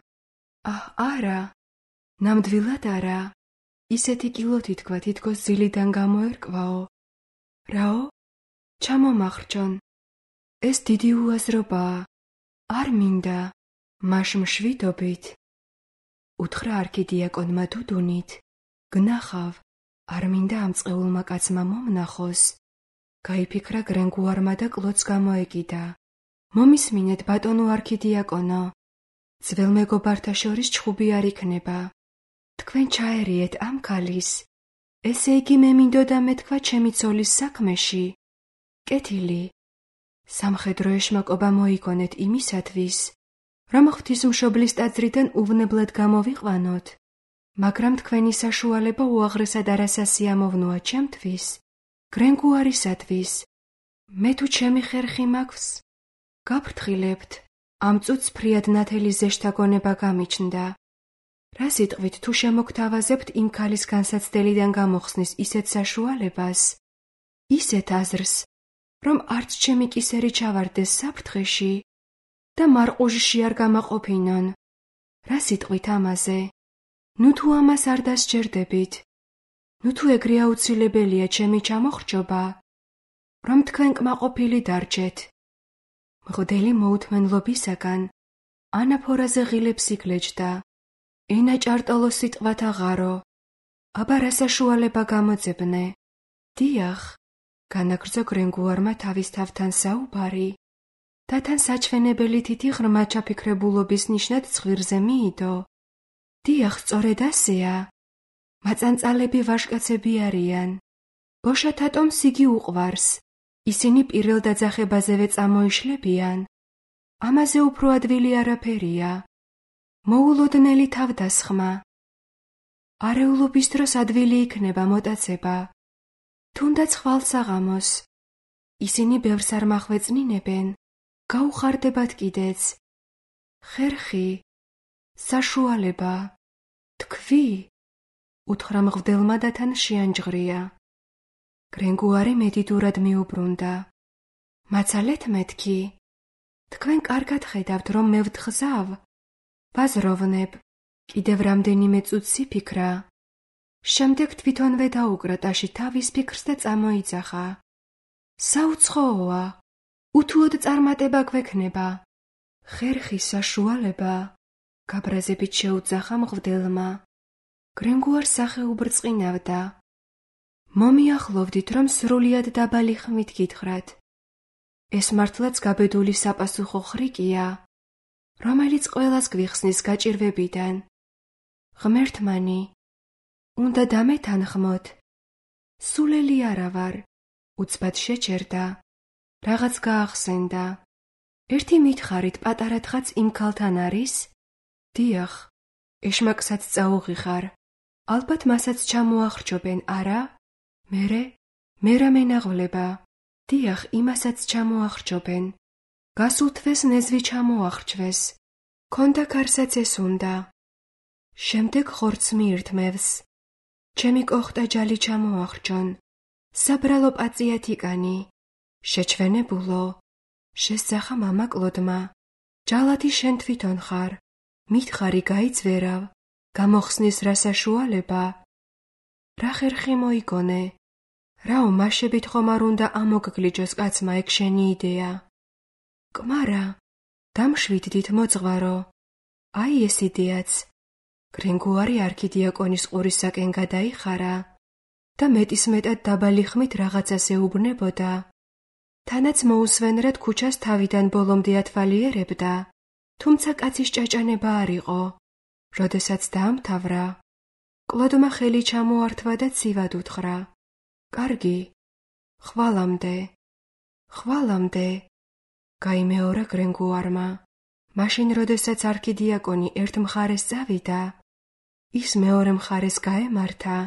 არა, ნამდვილად არა. ისეთი კილოთი თქვა, თითქოს ძილიდან გამოერკვაო. რაო? ჩამომახრჩონ. ეს დიდი უაზრობაა. არ მინდა. მაშ მშვიდობით. უთხრა არქიდიაკონმა დუდუნით. გნახავ, არ მინდა ამ წყეულმა კაცმა მომნახოს. გაიფიქრა გრენგუარმა და კლოდს გამოეკიდა. მომისმინეთ, ბატონო არქიდიაკონო, ძველ მეგობართა შორის ჩხუბი არ იქნება. თქვენ ჩაერიეთ ამ ქალის, ესე იგი მე მინდოდა მეთქვა ჩემი ცოლის საქმეში. კეთილი, სამხედრო ეშმაკობა მოიგონეთ იმისათვის, რომ ღვთისმშობლის ტაძრიდან უვნებლად გამოვიყვანოთ, მაგრამ თქვენი საშუალება უაღრესად არასასიამოვნოა ჩემთვის, გრენგუარისათვის. მე თუ ჩემი ხერხი მაქვს, გაფრთხილებთ, ამ წუთს ფრიად ნათელი ზეშთა გონება გამიჩნდა. რა სიტყვით თუ შემოგთავაზებთ იმ ქალის განსაცდელიდან გამოხსნის ისეთ საშუალებას, ისეთ აზრს, რომ არც ჩემი კისერი ჩავარდეს საფრთხეში და მარყუჟში არ გამაყოფინონ. რა სიტყვით ამაზე? ნუ თუ ამას არ დასჯერდებით, ნუ თუ ეგრე აუცილებელია ჩემი ჩამოხრჩობა, რომ თქვენ კმაყოფილი დარჩეთ. მღვდელი მოუთმენლობისაგან ანაფორაზე ღილებს იგლეჯდა. ენა ჭარტოლო სიტყვათა ღარო. აბა რა საშუალება გამოძებნე? დიახ, განაგრძო გრენგუარმა თავის თავთან საუბარი და თან საჩვენებელი თითი ღრმა ჩაფიქრებულობის ნიშნად ცხვირზე მიიდო. დიახ, სწორედ ასეა. მაწანწალები ვაჟკაცები არიან. გოშათა ტომს იგი უყვარს. ისინი პირველ დაძახებაზევე წამოიშლებიან. ამაზე უფრო ადვილი არაფერია. მოულოდნელი თავდასხმა. არეულობის დროს ადვილი იქნება მოტაცება. თუნდაც ხვალსაღამოს. ისინი ბევრს არ მახვეწნინებენ, გაუხარდებათ კიდეც. ხერხი, საშუალება, თქვი, უთხრა მღვდელმა და თან შეანჯღრია. გრენგუარი მედიდურად მიუბრუნდა. მაცალეთ მეთქი, თქვენ კარგად ხედავთ, რომ მე ვთხზავ, ვაზროვნებ, კიდევ რამდენიმე წუთს იფიქრა. შემდეგ თვითონვე დაუკრა ტაში თავის ფიქრს და წამოიძახა. საუცხოოა, უთუოდ წარმატება გვექნება. ხერხი საშუალება, გაბრაზებით შეუძახა მღვდელმა. გრენგუარს სახე უბრწყინავდა. მომიახლოვდით, რომ სრულიად დაბალი ხმით გითხრათ. ეს მართლაც გაბედული საპასუხო ხრიკია, რომელიც ყველას გვიხსნის გაჭირვებიდან. ღმერთმანი, უნდა დამეთანხმოთ. სულელი არა ვარ, უცბად შეჩერდა, რაღაც გაახსენდა. ერთი მითხარით პატარა თხაც იმ ქალთან არის? დიახ, ეშმაკსაც წაუღიხარ. ალბათ მასაც ჩამოახრჩობენ, არა? მე რა მენაღვლება? დიახ, იმასაც ჩამოახრჩობენ. გასულ თვეს ნეзвი ჩამოახრჩვეს. ქონდა კარსაც ეს უნდა. შემდეგ ხორცს მიირთმევს. ჩემი კოხტა ჯალი ჩამოახრჩონ. საბრალო პაწიათ იკანი. შეჩვენებულო. შესძახა მამა კლოდმა. ჯალათი შენ თვითონ ხარ. მითხარი გაიძვერავ. გამოხსნის რა საშუალება? რა ხერხი მოიგონე? რაო მაშებით ხომ არ უნდა ამოგგლიჯოს კაცმა ეგ შენი იდეა? კმარა, დამშვიდდით მოძღვარო. აი ეს იდეაც. გრენგუარი არქიდიაკონის ყურისაკენ გადაიხარა და მეტისმეტად დაბალი ხმით რაღაცას ეუბნებოდა. თანაც მოუსვენრად ქუჩას თავიდან ბოლომდე ათვალიერებდა, თუმცა კაცის ჭაჭანება არ იყო. როდესაც დაამთავრა, კლოდმა ხელი ჩამოართვა და ცივად უთხრა. კარგი, ხვალამდე, გაიმეორა გრენგუარმა. მაშინ, როდესაც არქიდიაკონი ერთ მხარეს წავიდა, ის მეორე მხარეს გაემართა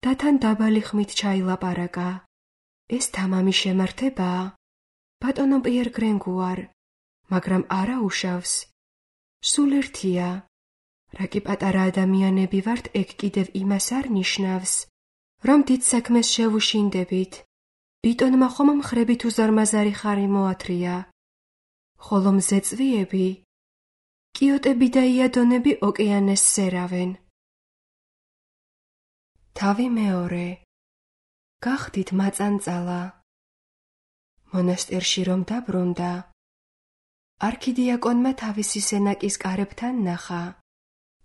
და თან დაბალი ხმით ჩაილაპარაკა. ეს თამამი შემართებაა, ბატონო პიერ გრენგუარ, მაგრამ არა უშავს. სულ ერთია. რა კი პატარა ადამიანები ვართ, ეგ კიდევ იმას არ ნიშნავს, რომ დიდ საქმეს შევუშინდებით. ბიტონმა ხომ მხრებით უზარმაზარი ხარი მოათრია. ხოლო მზეწვიები, კიოტები და იადონები ოკეანეს სერავენ. თავი მეორე. გახდით მაწანწალა. მონასტერში რომ დაბრუნდა, არქიდიაკონმა თავისი სენაკის კარებთან ნახა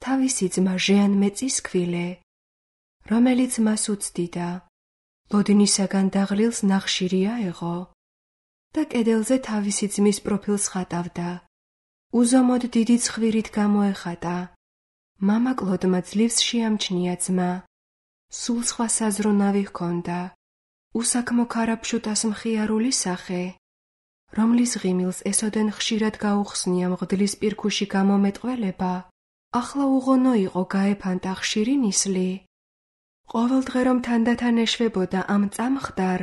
თავისი ძმა ჟეან მეწის ქვილე, რომელიც მას უცდიდა. ლოდინისაგან დაღლილს ნახშირი აეღო და კედელზე თავისი ძმის პროფილს ხატავდა. უზომოდ დიდი ცხვირით გამოეხატა. მამა კლოდმა ძლივს შეამჩნია ძმა. სულ სხვა საზრუნავი ჰქონდა. უსაქმო ქარაფშუტას მხიარული სახე, რომლის ღიმილს ესოდენ ხშირად გაუხსნია მღვდლის პირქუში გამომეტყველება, ახლა უღონო იყო გაეფანტა ხშირი ნისლი. ყოველდღე რომ თანდათან ეშვებოდა ამ წამხდარ,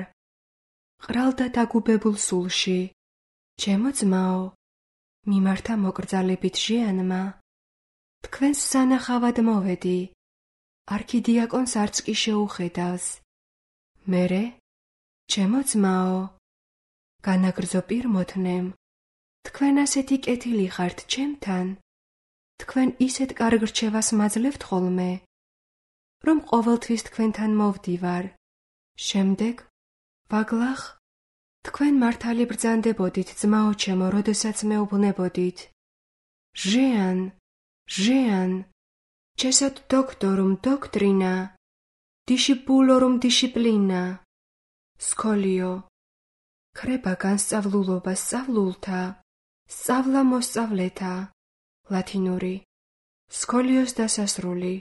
ყრალდა დაგუბებულ სულში. ჩემო ძმაო, მიმართა მოკრძალებით ჟიანმა. თქვენს სანახავად მოვედი. არქიდიაკონს არც კი შეუხედავს. მერე, ჩემო ძმაო, განაგრძო პირმოთნემ, თქვენ ასეთი კეთილი ხართ ჩემთან, თქვენ ისეთ კარგ რჩევას მაძლევთ ხოლმე, რომ ყოველთვის თქვენთან მოვდივარ. შემდეგ, ვაგლახ, თქვენ მართალი ბრძანდებოდით, ძმაო ჩემო, როდესაც მეუბნებოდით. ჟეან, ჩესად დოქტორუმ დოქტრინა, დიშიპულორუმ დიშიპლინა, სკოლიო, ქრება განსწავლულობა სწავლულთა, სწავლა მოსწავლეთა, ლათინური, სკოლიოს დასასრული.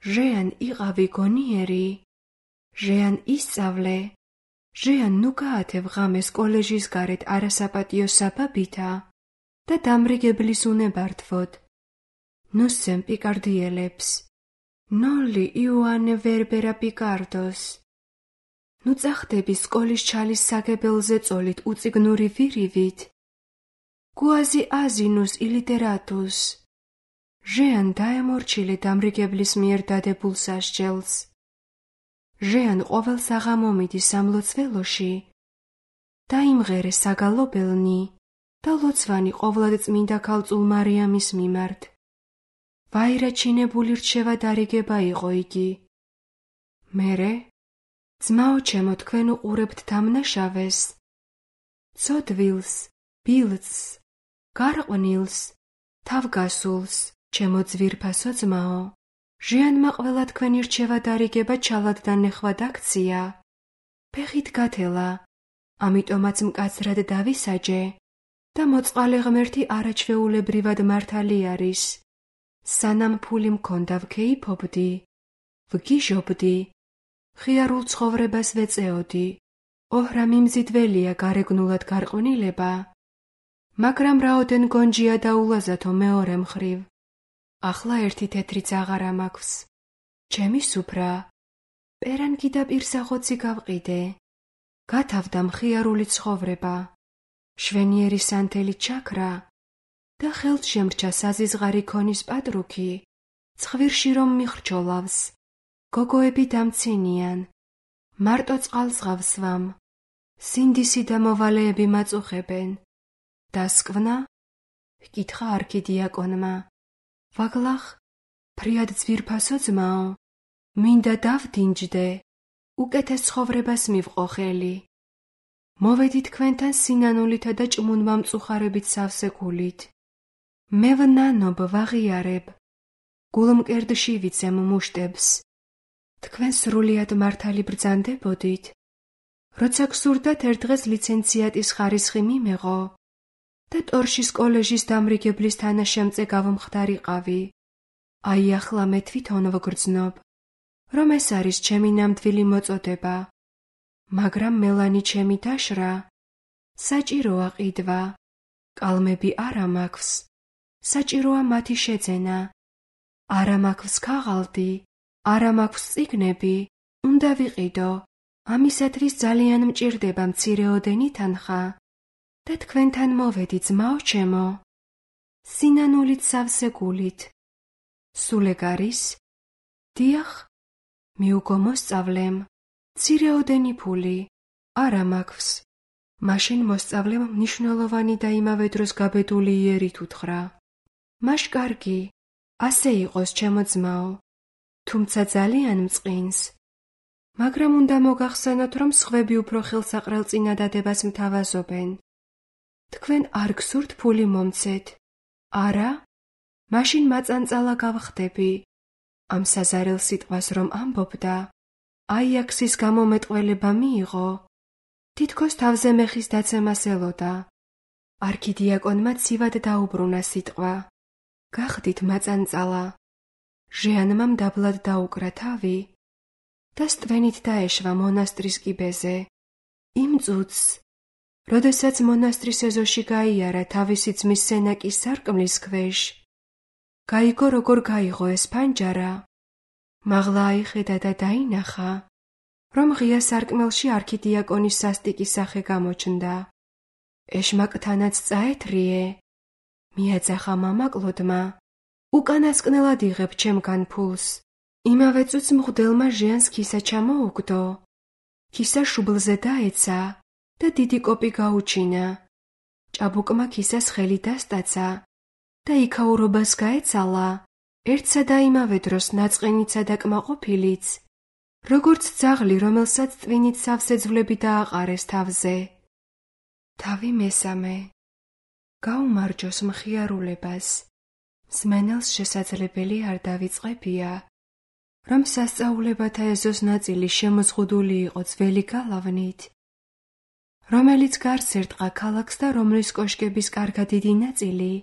ჟეან იყავი გონიერი, ჟეან ისწავლე, ჟეან ნუ გაათევ ღამეს კოლეჟის გარეთ არასაპატიო საბაბითა და დამრიგებლის უნებართვოდ. ნუსცემ პიკარდიელებს, ნოლი იოანე ვერბერა პიკარდოს. ნუ წახდები სკოლის ჩალის საგებელზე წოლით უწიგნური ვირივით. გუაზი აზინუს ილიტერატუს, ჟეან დაემორჩილე დამრიგებლის მიერ დადებულ სასჯელს. ჟეან ყოველ საღამომიდი სამლოცველოში, დაიმღერე საგალობელნი და ლოცვანი ყოვლად წმინდა ქალწულ მარიამის მიმართ. ვაირაჩინებული რჩევა დარიგება იყო იგი. მერე, ძმაო ჩემო, თქვენ უყურებთ დამნაშავეს, ცოდვილს, ბილწს, გარყვნილს, თავგასულს, ჩემო ძვირფასო ძმაო, ჟეანმა ყველა თქვენი რჩევა დარიგება ჩალად და ნეხვად აქცია. ფეხით გათელა, ამიტომაც მკაცრად დავისაჯე და მოწყალე ღმერთი არაჩვეულებრივად მართალი არის. სანამ ფული მქონდა ვქეიფობდი, ვგიჟობდი, ხიარულ ცხოვრებას ვეწეოდი, ოჰრა მიმზიდველია გარეგნულად გარყვნილება, მაგრამ რაოდენ გონჯია და ულაზათო მეორე მხრივ. ახლა ერთი თეთრიც აღარა მაქვს. ჩემი სუფრა, პერანგი და პირსახოცი გავყიდე. გათავდა მხიარული ცხოვრება, შვენიერი სანთელი ჩაქრა და ხელთ შემრჩა საზიზღარი ქონის პატრუქი, ცხვირში რომ მიხრჩოლავს, გოგოები დამცინიან, მარტო წყალს ღავსვამ, სინდისი და მოვალეები მაწუხებენ. დასკვნა? ჰკითხა არქიდიაკონმა. ვაგლახ, ფრიად ძვირფასო ძმაო, მინდა დავდინჯდე, უკეთეს ცხოვრებას მივყო ხელი. მოვედი თქვენთან სინანულითა და ჭმუნმამწუხარებით სავსე გულით. მე ვნანობ ვაღიარებ, გულმკერდში ვიცემ მუშტებს. თქვენ სრულიად მართალი ბრძანდებოდით, როცა გსურდათ ერთ დღეს ლიცენციატის ხარისხი მიმეღო და ტორშის კოლეჟის დამრიგებლის თანაშემწე გავმხდარიყავი. აი ახლა მე თვითონ ვგრძნობ, რომ ეს არის ჩემი ნამდვილი მოწოდება, მაგრამ მელანი ჩემი დაშრა, საჭიროა ყიდვა, კალმები არა მაქვს, საჭიროა მათი შეძენა. არა მაქვს ქაღალდი, არა მაქვს წიგნები, უნდა ვიყიდო. ამისათვის ძალიან მჭირდება მცირეოდენი თანხა და თქვენთან მოვედი ძმაო ჩემო. სინანულით სავსე გულით. სულ ეგ არის? დიახ, მიუგო მოსწავლემ, მცირეოდენი ფული არა მაქვს. მაშინ მოსწავლემ მნიშვნელოვანი და იმავე დროს გაბედული იერით უთხრა. მაშ კარგი, ასე იყოს ჩემო ძმაო, თუმცა ძალიან მწყინს. მაგრამ უნდა მოგახსენოთ, რომ სხვები უფრო ხელსაყრელწინა დადებას მთავაზობენ. თქვენ არ გსურთ ფული მომცეთ? არა? მაშინ მაწანწალა გავხდები. ამ საზარელ სიტყვას რომ ამბობდა, აიაქსის გამომეტყველება მიიღო. თითქოს თავზე მეხის დაცემას ელოდა. არქიდიაკონმა ცივად დაუბრუნა სიტყვა. გახდით მაწანწალა. ჟეანმა მდაბლად დაუკრა თავი და სტვენით დაეშვა მონასტრის კიბეზე. იმ წუთს, როდესაც მონასტრის ეზოში გაიარა თავისი ძმის სენაკის სარკმლის ქვეშ, გაიგო როგორ გაიღო ეს ფანჯარა. მაღლა აიხედა და დაინახა, რომ ღია სარკმელში არქიდიაკონის სასტიკი სახე გამოჩნდა. ეშმაკთანაც წაეთრიე, მიაძახა მამაკლოდმა, უკანასკნელად იღებ ჩემგან ფულს. იმავე წუთს მღვდელმა ჟეანს ქისა ჩამოუგდო, ქისა შუბლზე დაეცა და დიდი კოპი გაუჩინა. ჭაბუკმა ქისას ხელი დასტაცა და იქაურობას გაეცალა, ერთსა და იმავე დროს ნაწყენიცა და კმაყოფილიც, როგორც ძაღლი, რომელსაც ტვინით სავსე ძვლები დააყარეს თავზე. თავი მესამე. გაუმარჯოს მხიარულებას. მსმენელს შესაძლებელი არ დავიწყებია, რომ სასწაულებათა ეზოს ნაწილი შემოზღუდული იყო ძველი გალავნით, რომელიც გარს ერტყა ქალაქს და რომლის კოშკების კარგად დიდი ნაწილი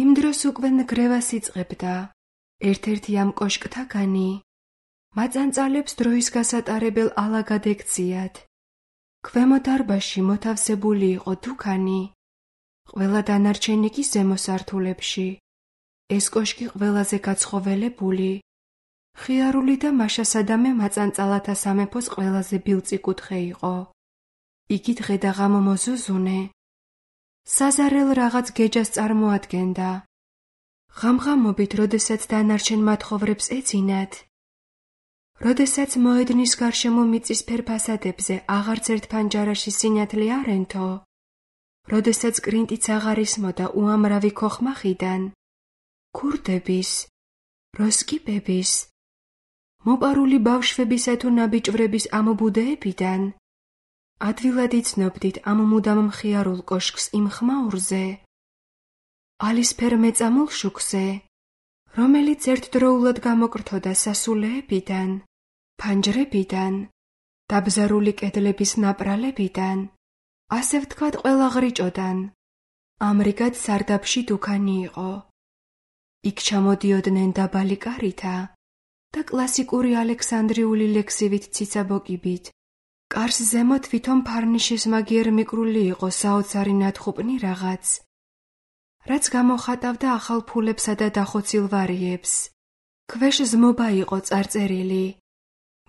იმ დროს უკვე ნგრევას იწყებდა. ერთ-ერთი ამ კოშკთაგანი მაწანწალებს დროის გასატარებელ ალაგად ექციათ. ქვემო დარბაზში მოთავსებული იყო დუქანი, ყველა დანარჩენი კი ზემო სართულებში. ეს კოშკი ყველაზე გაცხოველებული, ხიარული და მაშასადამე მაწანწალათა სამეფოს ყველაზე ბილწი კუთხე იყო. იგი დღე და ღამო მოზუზუნე, საზარელ რაღაც გეჯას წარმოადგენდა. ღამღამობით, როდესაც დანარჩენ მათხოვრებს ეძინათ, როდესაც მოედნის გარშემო მიწისფერ ფასადებზე აღარც ერთ ფანჯარაში სინათლე არ ენთო, როდესაც კრინტიც აღარ ისმოდა უამრავი ქოხმახიდან, ქურდების, როსკიპების, მოპარული ბავშვებისა თუ ნაბიჭვრების ამ ბუდეებიდან, ადვილად იცნობდით ამ მუდამ მხიარულ კოშკს იმ ხმაურზე, ალისფერ მეწამულ შუქზე, რომელიც ერთდროულად გამოკრთოდა სასულეებიდან, ფანჯრებიდან, დაბზარული კედლების ნაპრალებიდან, ასე ვთქვათ ყველა ղრიჭოდან, ამრიგად სარდაფში დუქანი იყო. იქ ჩამოდიოდნენ დაბალი კარითა და კლასიკური ალექსანდრიული ლექსივით ციცაბოკიბით. კარს ზემოთ თვითონ ფარნიშის მაგიერ მიკრული იყო საოცარი ნათხუპნი რაღაც, რაც გამოხატავდა ახალ ფულებსა და დახოცილ ვარიებს. ქვეშ ზმობა იყო წარწერილი,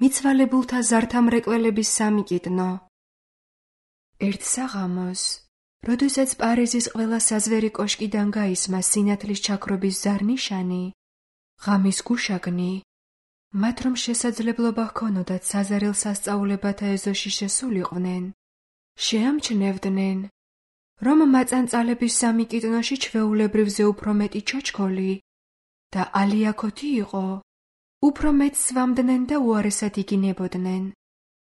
მიცვალებულთა ზართამრეკველების სამიკიდნო. ერთ საღამოს, როდესაც პარიზის ყველა საზვერი კოშკიდან გაისმა სინათლის ჩაქრობის ზარნიშანი, ღამის გუშაგნი, მათ რომ შესაძლებლობა ჰქონოდათ საზარელ სასწაულებათა ეზოში შესულიყვნენ, შეამჩნევდნენ, რომ მაწანწალების სამიკიდნოში ჩვეულებრივზე უფრო მეტი ჩოჩქოლი და ალიაქოთი იყო, უფრო მეტს სვამდნენ და უარესად იგინებოდნენ.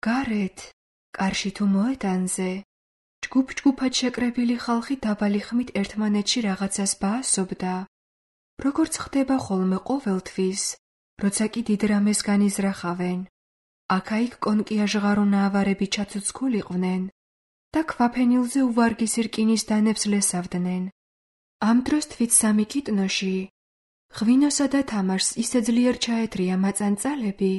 გარეთ, კარში თუ მოედანზე, ჯგუფ-ჯგუფად შეკრებილი ხალხი დაბალი ხმით ერთმანეთში რაღაცას ბაასობდა, როგორც ხდება ხოლმე ყოველთვის, როცა კი დიდ რამეს განიზრახავენ. აქა-იქ კონკიაჟღარო ნაავარები ჩაცოცხულიყვნენ და ქვაფენილზე უვარგისი რკინის დანებს ლესავდნენ. ამ დროს თვით სამიკიდნოში, ღვინოსა და თამაშს ისე ძლიერ ჩაეთრია მაწანწალები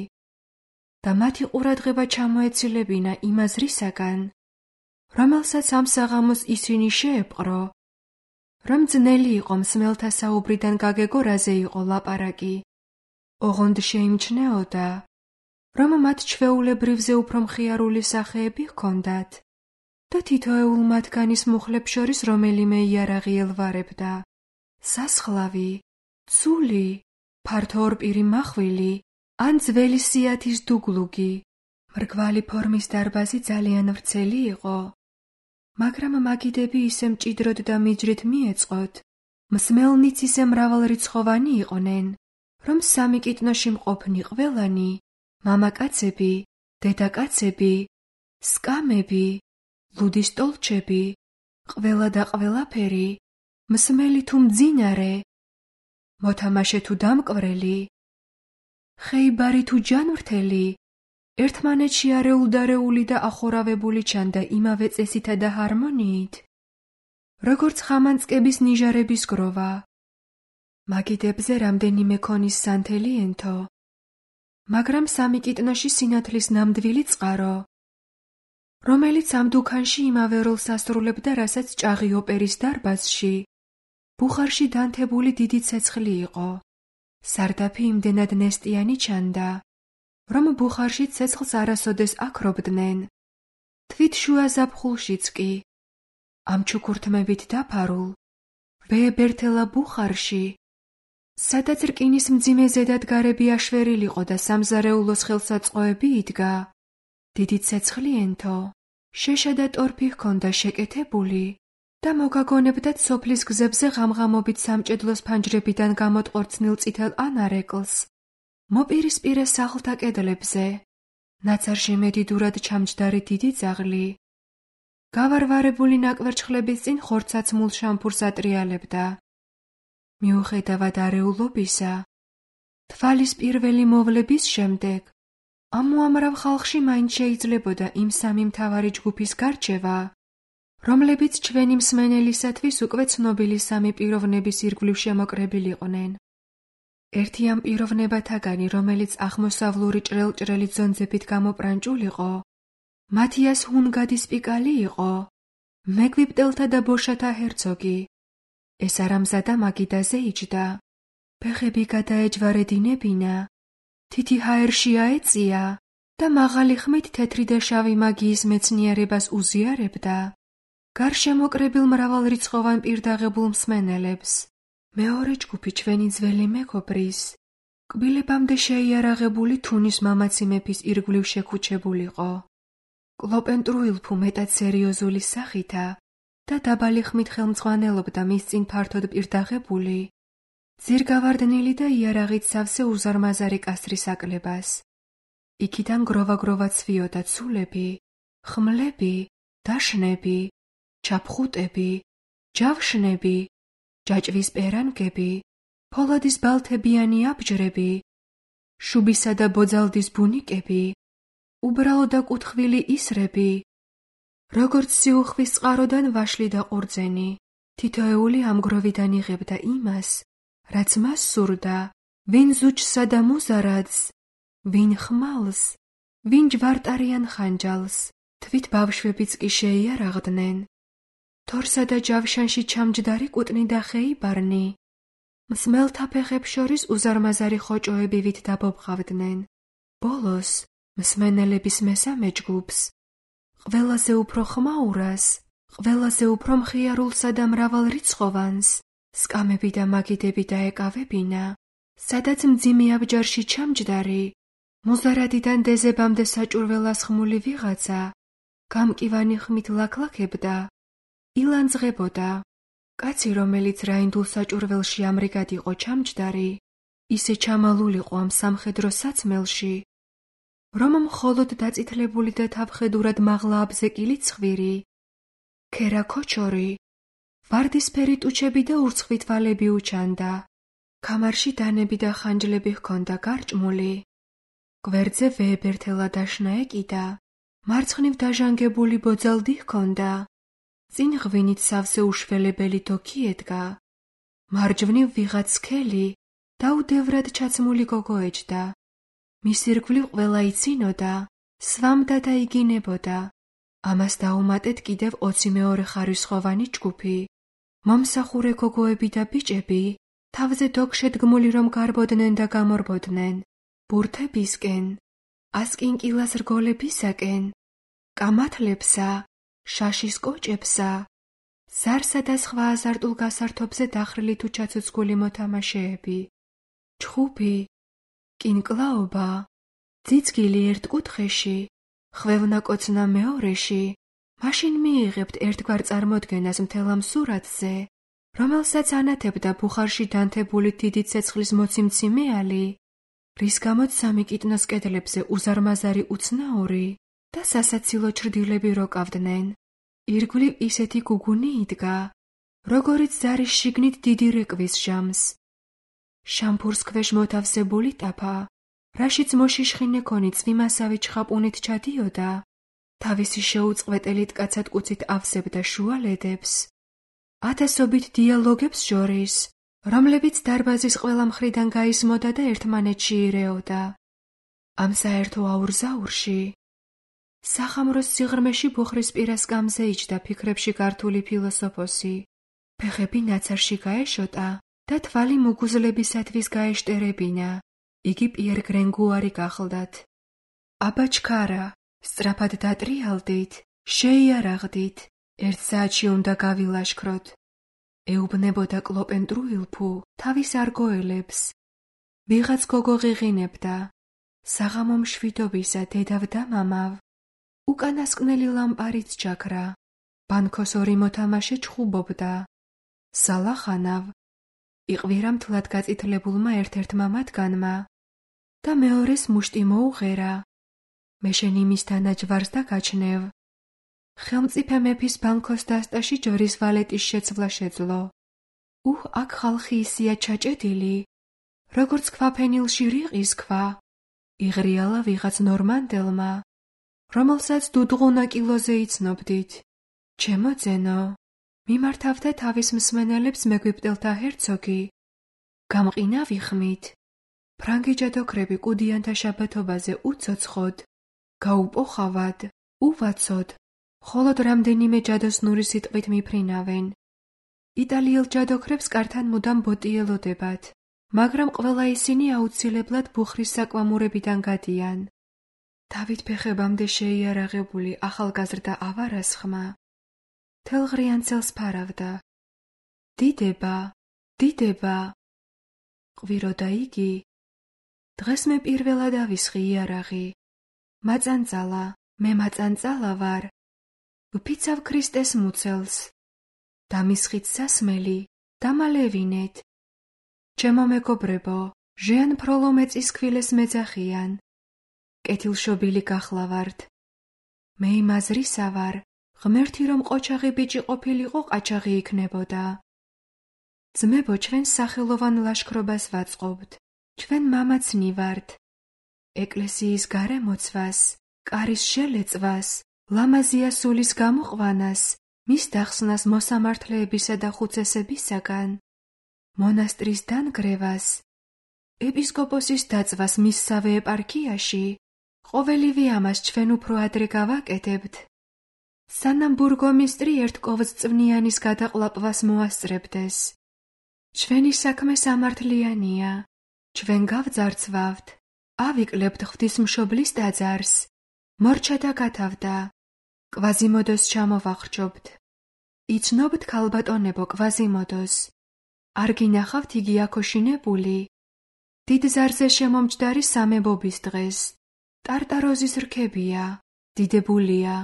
და მათი ყურადღება ჩამოეცილებინა იმ აზრისაგან, რომელსაც ამ საღამოს ისინი შეეპყრო, რომ ძნელი იყო მსმელთა საუბრიდან გაგეგო რაზე იყო ლაპარაკი. ოღონდ შეიმჩნეოდა, რომ მათ ჩვეულებრივზე უფრო მხიარული სახეები ჰქონდათ და თითოეულ მათგანის მუხლებს შორის რომელიმე იარაღი ელვარებდა. სასხლავი, ცული, ფართო ორპირი მახვილი ან ძველი სიათის დუგლუგი. მრგვალი ფორმის დარბაზი ძალიან ვრცელი იყო, მაგრამ მაგიდები ისე მჭიდროდ და მიჯრით მიეწყოთ, მსმელნიც ისე მრავალრიცხოვანი იყვნენ, რომ სამიკიდნოში მყოფნი ყველანი, მამაკაცები, დედაკაცები, სკამები, ლუდისტოლჩები, ყველა და ყველაფერი, მსმელი თუ მძინარე, მოთამაშე თუ დამკვრელი, ხეიბარი თუ ჯანმრთელი, ერთმანეთში არეულდარეული და ახორავებული ჩანდა იმავე წესითა და ჰარმონიით, როგორც ხამანწკების ნიჟარების გროვა. მაგიდებზე რამდენიმე ქონის სანთელი ენთო, მაგრამ სამიკიდნოში სინათლის ნამდვილი წყარო, რომელიც ამ დუქანში იმავე როლს ასრულებდა, რასაც ჭაღი ოპერის დარბაზში, ბუხარში დანთებული დიდი ცეცხლი იყო. სარდაფი იმდენად ნესტიანი ჩანდა, რომ ბუხარში ცეცხლს არასოდეს აქრობდნენ. თვით შუა ზაფხულშიც კი, ამ ჩუქურთმებით დაფარულ, ბეებერთელა ბუხარში, სადაც რკინის მძიმე ზედადგარები აშვერილიყო და სამზარეულოს ხელსაწყოები იდგა, დიდი ცეცხლი ენთო, შეშა და ტორფი ჰქონდა შეკეთებული და მოგაგონებდათ სოფლის გზებზე ღამღამობით სამჭედლოს ფანჯრებიდან გამოტყორცნილ წითელ ანარეკლს, მოპირისპირე სახლთა კედლებზე, ნაცარში მედიდურად ჩამჯდარი დიდი ძაღლი, გავარვარებული ნაკვერჩხლების წინ ხორცაცმულ შამფურს ატრიალებდა. მიუხედავად არეულობისა, თვალის პირველი მოვლების შემდეგ, ამ უამრავ ხალხში მაინც შეიძლებოდა იმ სამი მთავარი ჯგუფის გარჩევა, რომლებიც ჩვენი მსმენელისათვის უკვე ცნობილი სამი პიროვნების ირგვლივ შემოკრებილიყვნენ. ერთი ამ პიროვნებათაგანი, რომელიც აღმოსავლური ჭრელ-ჭრელი ძონძებით გამოპრანჭულიყო, მათიას ჰუნგადის პიკალი იყო, მეგვიპტელთა და ბოშათა ჰერცოგი. ეს არამზადა მაგიდაზე იჯდა, ფეხები გადაეჯვარედინებინა, თითი ჰაერში აეწია და მაღალი ხმით თეთრი და შავი მაგიის მეცნიერებას უზიარებდა. გარშემოკრებილ მრავალრიცხოვან პირდაღებულ მსმენელებს, მეორე ჯგუფი ჩვენი ძველი მეგობრის, კბილებამდე შეიარაღებული თუნის მამაცი მეფის ირგვლივ შეკუჩებულიყო. კლოპენტრუილფუ მეტად სერიოზული სახითა და დაბალი ხმით ხელმძღვანელობდა მის წინ ფართოდ პირდაღებული, ძირგავარდნილი და იარაღით სავსე უზარმაზარი კასრის აკლებას. იქიდან გროვა-გროვა ცვიოდა ცულები, ხმლები, დაშნები, ჩაფხუტები, ჯავშნები, ჯაჭვის პერანგები, ფოლადის ბალთებიანი აბჯრები, შუბისა და ბოძალდის ბუნიკები, უბრალო და კუთხვილი ისრები, როგორც სიუხვის წყაროდან ვაშლი და ყურძენი, თითოეული ამ გროვიდან იღებდა იმას, რაც მას სურდა, ვინ ზუჯსა და მუზარადს, ვინ ხმალს, ვინ ჯვარტარიან ხანჯალს, თვით ბავშვებიც კი შეიარაღდნენ. თორსა და ჯავშანში ჩამჯდარი კუტნი და ხეიბარნი, მსმელთა ფეხებს შორის უზარმაზარი ხოჭოები ვით დაბობხავდნენ. ბოლოს, მსმენელების მესამე ჯგუფს, ყველაზე უფრო ხმაურას, ყველაზე უფრო მხიარულსა და მრავალრიცხოვანს, სკამები და მაგიდები დაეკავებინა, სადაც მძიმე აბჯარში ჩამჯდარი, მუზარადიდან დეზებამდე საჭურველას ხმული ვიღაცა, გამკივანი ხმით ლაქლაქებდა, ილანძღებოდა. კაცი, რომელიც რაინდულ საჭურველში ამრიგად იყო ჩამჯდარი, ისე ჩამალულიყო ამ სამხედრო საცმელში, რომ მხოლოდ დაწითლებული და თავხედურად მაღლა აბზეკილი ცხვირი, ქერა ქოჩორი, ვარდისფერი ტუჩები და ურცხვი თვალები უჩანდა. ქამარში დანები და ხანჯლები ჰქონდა გარჭმული. გვერდზე ვეებერთელა დაშნა ეკიდა, მარცხნივ დაჟანგებული ბოძალდი ჰქონდა. წინ ღვინით სავსე უშველებელი დოქი ედგა. მარჯვნივ ვიღაც სქელი და უდევრად ჩაცმული გოგო ეჯდა. მის ირგვლივ ყველა იცინოდა, სვამდა და იგინებოდა. ამას დაუმატეთ კიდევ 20 მეორე ხარისხოვანი ჯგუფი. მომსახურე გოგოები და ბიჭები, თავზე დოგშედგმული რომ გარბოდნენ და გამორბოდნენ, ბურთებისკენ, ასკინკილას რგოლებისაკენ, კამათლებსა, შაშის კოჭებსა, ზარსა და სხვა აზარტულ გასართობზე დახრილი თუ ჩაცოცხლული მოთამაშეები. ჩხუბი, კინკლაობა, ძიძგილი ერთ კუთხეში, ხვევნაკოცნა მეორეში, მაშინ მიიღებთ ერთგვარ წარმოდგენას მთელ ამ სურათზე, რომელსაც ანათებდა ბუხარში დანთებული დიდი ცეცხლის მოციმციმეალი, რის გამოც სამი კიტნოს კედლებზე უზარმაზარი უცნაური და სასაცილო ჩრდილები როკავდნენ. ირგვლივ ისეთი გუგუნი იდგა, როგორიც ზარის შიგნით დიდი რეკვის ჟამს. შამფურს ქვეშ მოთავსებული ტაფა, რაშიც მოშიშხინე ქონი წვიმასავი ჩხაპუნით ჩადიოდა, თავისი შეუწყვეტელით კაცად კუცით ავსებდა შუალედებს, ათასობით დიალოგებს შორის, რომლებიც დარბაზის ყველა მხრიდან გაისმოდა და ერთმანეთში ირეოდა. ამ საერთო აურზაურში, სახამროს სიღრმეში ბუხრის პირას გამზე იჯდა ფიქრებში გართული ფილოსოფოსი, ფეხები ნაცარში გაეშოტა და თვალი მუგუზლებისათვის გაეშტერებინა. იგი პიერ გრენგუარი გახლდათ. აბა ჩქარა, სწრაფად დატრიალდით, შეიარაღდით, ერთ საათში უნდა გავილაშქროთ. ეუბნებოდა კლოპენტრუილფუ თავის არგოელებს. ვიღაც გოგო ღიღინებდა, საღამო მშვიდობისა დედავ და მამავ. უკანასკნელი ლამპარიც ჩაქრა, ბანქოს ორი მოთამაშე ჩხუბობდა. სალახანავ, იყვირა მთლად გაწითლებულმა ერთ-ერთმა მათგანმა და მეორეს მუშტი მოუღერა. მე შენ იმის თანაჯვარს და გაჩნევ. ხელმწიფე მეფის ბანქოს დასტაში ჯვრის ვალეტის შეცვლა შეძლო. აქ ხალხი ისია ჩაჭედილი, როგორც ქვაფენილში რიყის ქვა. იღრიალა ვიღაც ნორმანდელმა, რომელსაც დუდღუნა კილოზე იცნობდით. ჩემო ძენო, მიმართავდა თავის მსმენელებს მეგვიპტელთა ჰერცოგი. გამყინავი ხმით. ფრანგი ჯადოქრები კუდიანთა შაბათობაზე უცოცხოდ, გაუპოხავად, უვაცოდ, მხოლოდ რამდენიმე ჯადოსნური სიტყვით მიფრინავენ. იტალიელ ჯადოქრებს კართან მუდამ ბოტიელოდებათ, მაგრამ ყველა ისინი აუცილებლად ბუხრის საკვამურებიდან გადიან. დავით ფეხებამდე შეიარაღებული ახალგაზრდა ავარას ხმა თელღრიან წელს ფარავდა. დიდება, დიდება. ყვიროდა იგი. დღეს მე პირველად ავისხი იარაღი. მაწანწალა, მე მაწანწალა ვარ. ვფიცავ ქრისტეს მუცელს. დამისხით სასმელი, დამალევინეთ. ჩემო მეგობრებო, ჟეან ფროლო მეწის ქვილეს მეძახიან. კეთილშობილი გახლავართ. მე იმაზრისა ვარ, ღმერთი რომ ყოჩაღი ბიჭი ყოფილიყო ყაჩაღი იქნებოდა. ძმებო, ჩვენ სახელოვან ლაშქრობას ვაწყობთ, ჩვენ მამაცნი ვართ. ეკლესიის გარემოცვას, კარის შელეწვას, ლამაზია სულის გამოყვანას, მის დახსნას მოსამართლეებისა და ხუცესებისაგან, მონასტრის დანგრევას, ეპისკოპოსის დაწვას მისსავე ეპარქიაში, ყოველივე ამას ჩვენ უფრო ადრე გავაკეთებთ. სანამ ბურგომისტრი ერთ კოვზწვნიანის გადაყლაპვას მოასწრებდეს. ჩვენი საქმე სამართლიანია, ჩვენ გავძარცვავთ, ავიკლებთ ღვთისმშობლის ტაძარს, მორჩა და გათავდა, კვაზიმოდოს ჩამოვახრჩობთ. იცნობთ ქალბატონებო კვაზიმოდოს, არ გინახავთ იგი აქოშინებული? დიდ ზარზე შემომჯდარი სამებობის დღეს, ტარტაროზის რქებია, დიდებულია,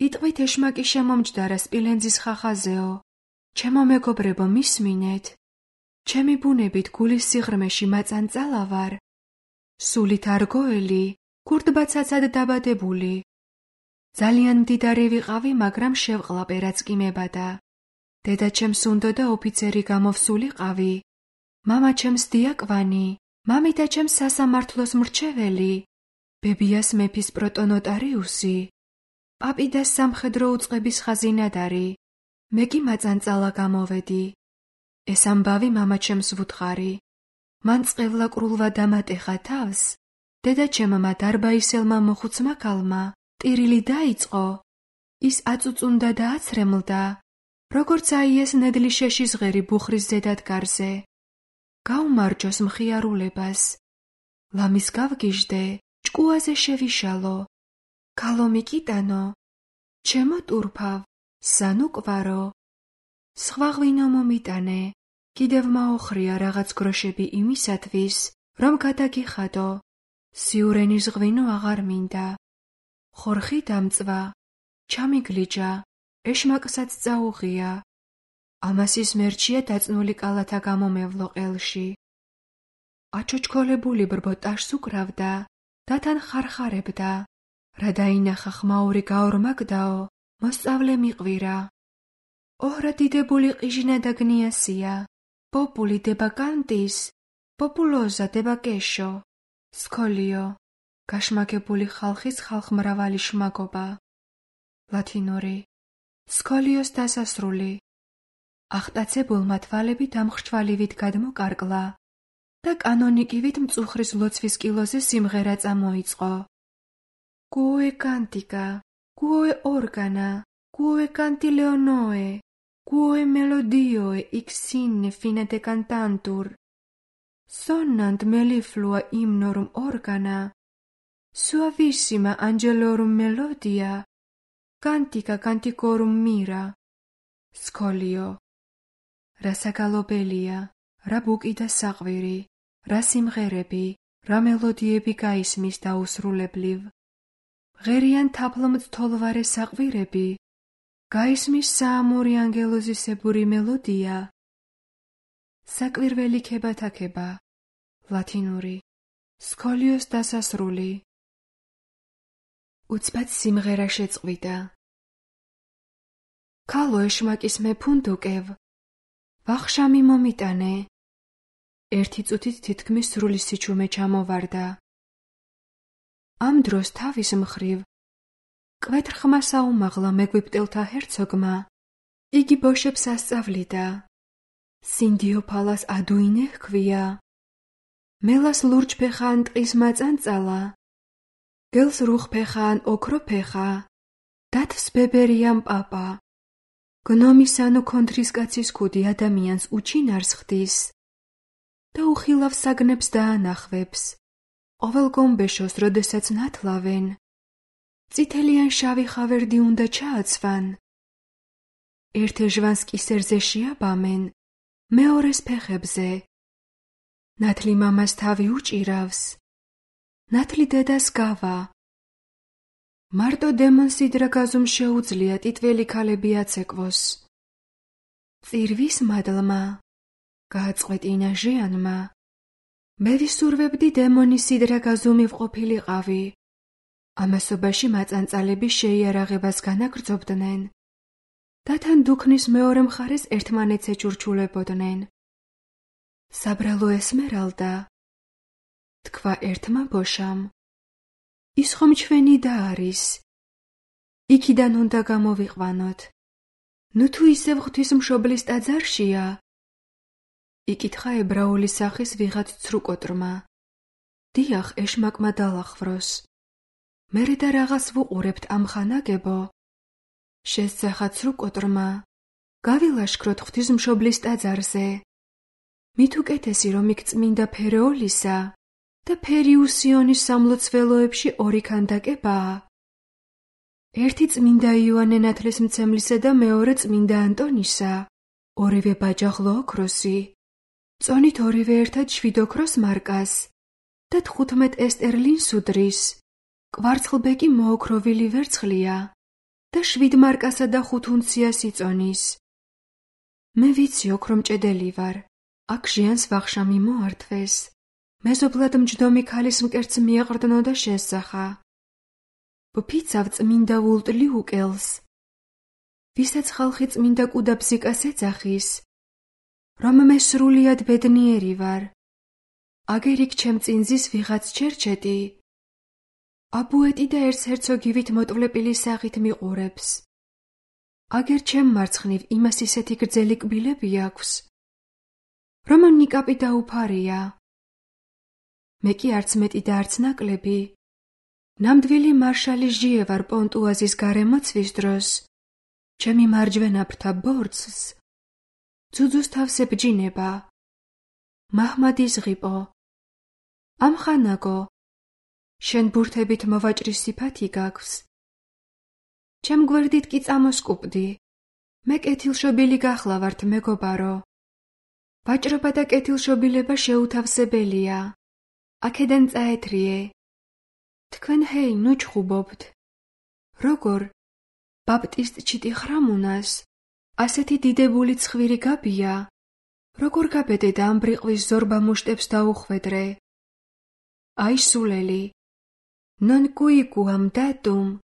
იტყვით ეშმაკი შემომჯდარა სპილენძის ხახაზეო, ჩემო მეგობრებო მისმინეთ, ჩემი ბუნებით გულის სიღრმეში მაწანწალა ვარ, სულით არგოელი, ქურდბაცაცად დაბადებული. ძალიან მდიდარი ვიყავი, მაგრამ შევყლაპე რაც კი მებადა. დედაჩემს უნდოდა ოფიცერი გამოვსულიყავი, მამაჩემს დიაკვანი, მამიდაჩემს სასამართლოს მრჩეველი, ბებიას მეფის პროტონოტარიუსი, პაპი და სამხედრო უწყების ხაზინადარი, მე კი მაწანწალა გამოვედი. ეს ამბავი მამაჩემს ვუთხარი. მან წყევლა კრულვა დამატეხა თავს, დედაჩემმა დარბაისელმა მოხუცმა ქალმა ტირილი დაიწყო, ის აწუწუნდა და აცრემლდა, როგორც აიეს ნედლი შეშის ღერი ბუხრის ზედადგარზე. გაუმარჯოს მხიარულებას, ლამის გავგიჟდე, ჭკუაზე შევიშალო, ქალო მიკიტანო, ჩემო ტურფავ, სანუკვარო, სხვა ღვინო მომიტანე, კიდევ მაოხრია რაღაც გროშები იმისათვის, რომ გადაგიხადო, სიურენის ღვინო აღარ მინდა. ხორხი დამწვა, ჩამიგლიჯა, ეშმაკსაც წაუღია. ამასის მერჩია დაწნული კალათა გამომევლო ყელში. აჩოჩქოლებული ბრბო ტაშს უკრავდა და თან ხარხარებდა, რა დაინახა ხმაური გაორმაგდაო, მოსწავლე მიყვირა. ოჰრა დიდებული ყიჟინა და გნიასია, პოპული დება კანტის, პოპულოზა დება კეშო, სკოლიო, გაშმაგებული ხალხის ხალხმრავალი შმაგობა. ლათინური, სკოლიოს დასასრული. ახტაცებულმა თვალები დამხრჩვალივით გადმოკარკლა და კანონიკივით მწუხრის ლოცვის კილოზე სიმღერა წამოიწყო. კუე კანტიკა, კუე ორგანა, კუე კანტილეონოე, კუე მელოდიოე იქსინე ფინე de cantantur. Sonnant melliflua imnorum organa, suavissima angelorum melodia, cantica canticorum mira. Scolio. რა საგალობელია, რა ბუკი და საყვირი, რა სიმღერები, რა მელოდიები გაისმის დაუსრულებლივ. ღერიან თაფლმწთოლვარე საყვირები, გაისმის საამური ანგელოზისებური მელოდია. საკვირველი ქებათაქება, ლათინური, სკოლიოს დასასრული. უცბად სიმღერა შეწყვიტა. ქალო ეშმაკის მეფუნდუკევ, ვახშამი მომიტანე. ერთი წუთით თითქმის სრული სიჩუმე ჩამოვარდა. ამ დროს თავის მხრივ, კვეთრხმა საუმაღლა მეგვიპტელთა ჰერცოგმა, იგი ბოშებს ასწავლიდა. სინდიოფალას ადუინე ჰქვია. მელას ლურჯფეხან ტყის მაწანწალა, გელს რუხფეხან ოქროფეხა, დათვს ბებერიამ პაპა. გნომისანუ კონთრისკაცის ქუდი ადამიანს უჩინარს ხდის და უხილავ საგნებს დაანახვებს, ყოველ გომბეშოს როდესაც ნათლავენ, წითელიან შავი ხავერდი უნდა ჩააცვან, ერთ ეჟვანს კისერზე შეაბამენ მეორეს ფეხებზე. ნათლი მამას თავი უჭირავს, ნათლი დედას გავა. მარტო დემონს სიდრაგაზუმ შეუძლია ტიტველი ქალები აცეკვოს. წირვის მადლმა, გააწყვეტინა ჟიანმა. მე ვისურვებდი დემონის სიდრაგაზუმი ვყოფილიყავი. ამასობაში მაწანწალები შეიარაღებას განაგრძობდნენ და თან დუქნის მეორე მხარეს ერთმანეთს ეჩურჩულებოდნენ. საბრალო ესმერალდა, თქვა ერთმა ბოშამ, ის ხომ ჩვენი და არის. იქიდან უნდა გამოვიყვანოთ. ნუ თუ ისევ ღვთისმშობლის ტაძარშია? იკითხა ებრაული სახის ვიღაც ცრუკოტრმა. დიახ, ეშმაკმა დალახვროს. მერე და რაღაც ვუყურებთ ამ ხანაგებო? შესძახა ცრუკოტრმა. გავილაშქროთ ღვთისმშობლის ტაძარზე. მით უკეთესი რომ იქ წმინდა ფერეოლისა და ფერიუსიონის სამლოცველოებში ორი ქანდაკებაა. ერთი წმინდა იოანე ნათლისმცემლისა და მეორე წმინდა ანტონისა, ორივე ბაჯაღლო ოქროსი. წონით ორივე ერთად 7 ოქროს მარკას და 15 ესტერლინს უდრის. კვარცხლბეკი მოოქროვილი ვერცხლია და 7 მარკასა და 5 უნციას იწონის. მე ვიცი ოქრომჭედელი ვარ. აქ ჟიანს ვახშამი მოართვეს. მეზობლად მჯდომი ქალის მკერდს მიაყრდნო და შესძახა. ვფიცავ წმინდა ვულტლიუკელს, ვისაც ხალხი წმინდა კუდაბზიკას ეძახის, რომ მე სრულიად ბედნიერი ვარ. აგერ იქ ჩემ წინძის ვიღაც ჩერჩეტი. აბუეტი და ერცჰერცოგივით მოტვლეპილი სახით მიყურებს. აგერ ჩემ მარცხნივ იმას ისეთი გრძელი კბილები აქვს, რომ ნიკაპი დაუფარია. მე კი არც მეტი და არც ნაკლები. ნამდვილი მარშალი ჟიე ვარ პონტუაზის გარემოცვის დროს. ჩემი მარჯვენა ფრთა ბორცს ძუძუს თავს ებჯინება. მაჰმადის ღიპო. ამხანაგო, შენ ბურთებით მოვაჭრის სიფათი გაქვს. ჩემ გვერდით კი წამოსკუპდი. მე კეთილშობილი გახლავართ, მეგობარო. ვაჭრობა და კეთილშობილება შეუთავსებელია. აქედან წაეთრიე. თქვენ ჰეი, ნუ ჩხუბობთ. როგორ? ბაპტისტ ჩიტი ხრამუნას, ასეთი დიდებული ცხვირი გაბია. როგორ გაბედე და ამ ბრიყვის ზორბა მუშტებს დაუხვედრე? აი სულელი. Non cuiquam datum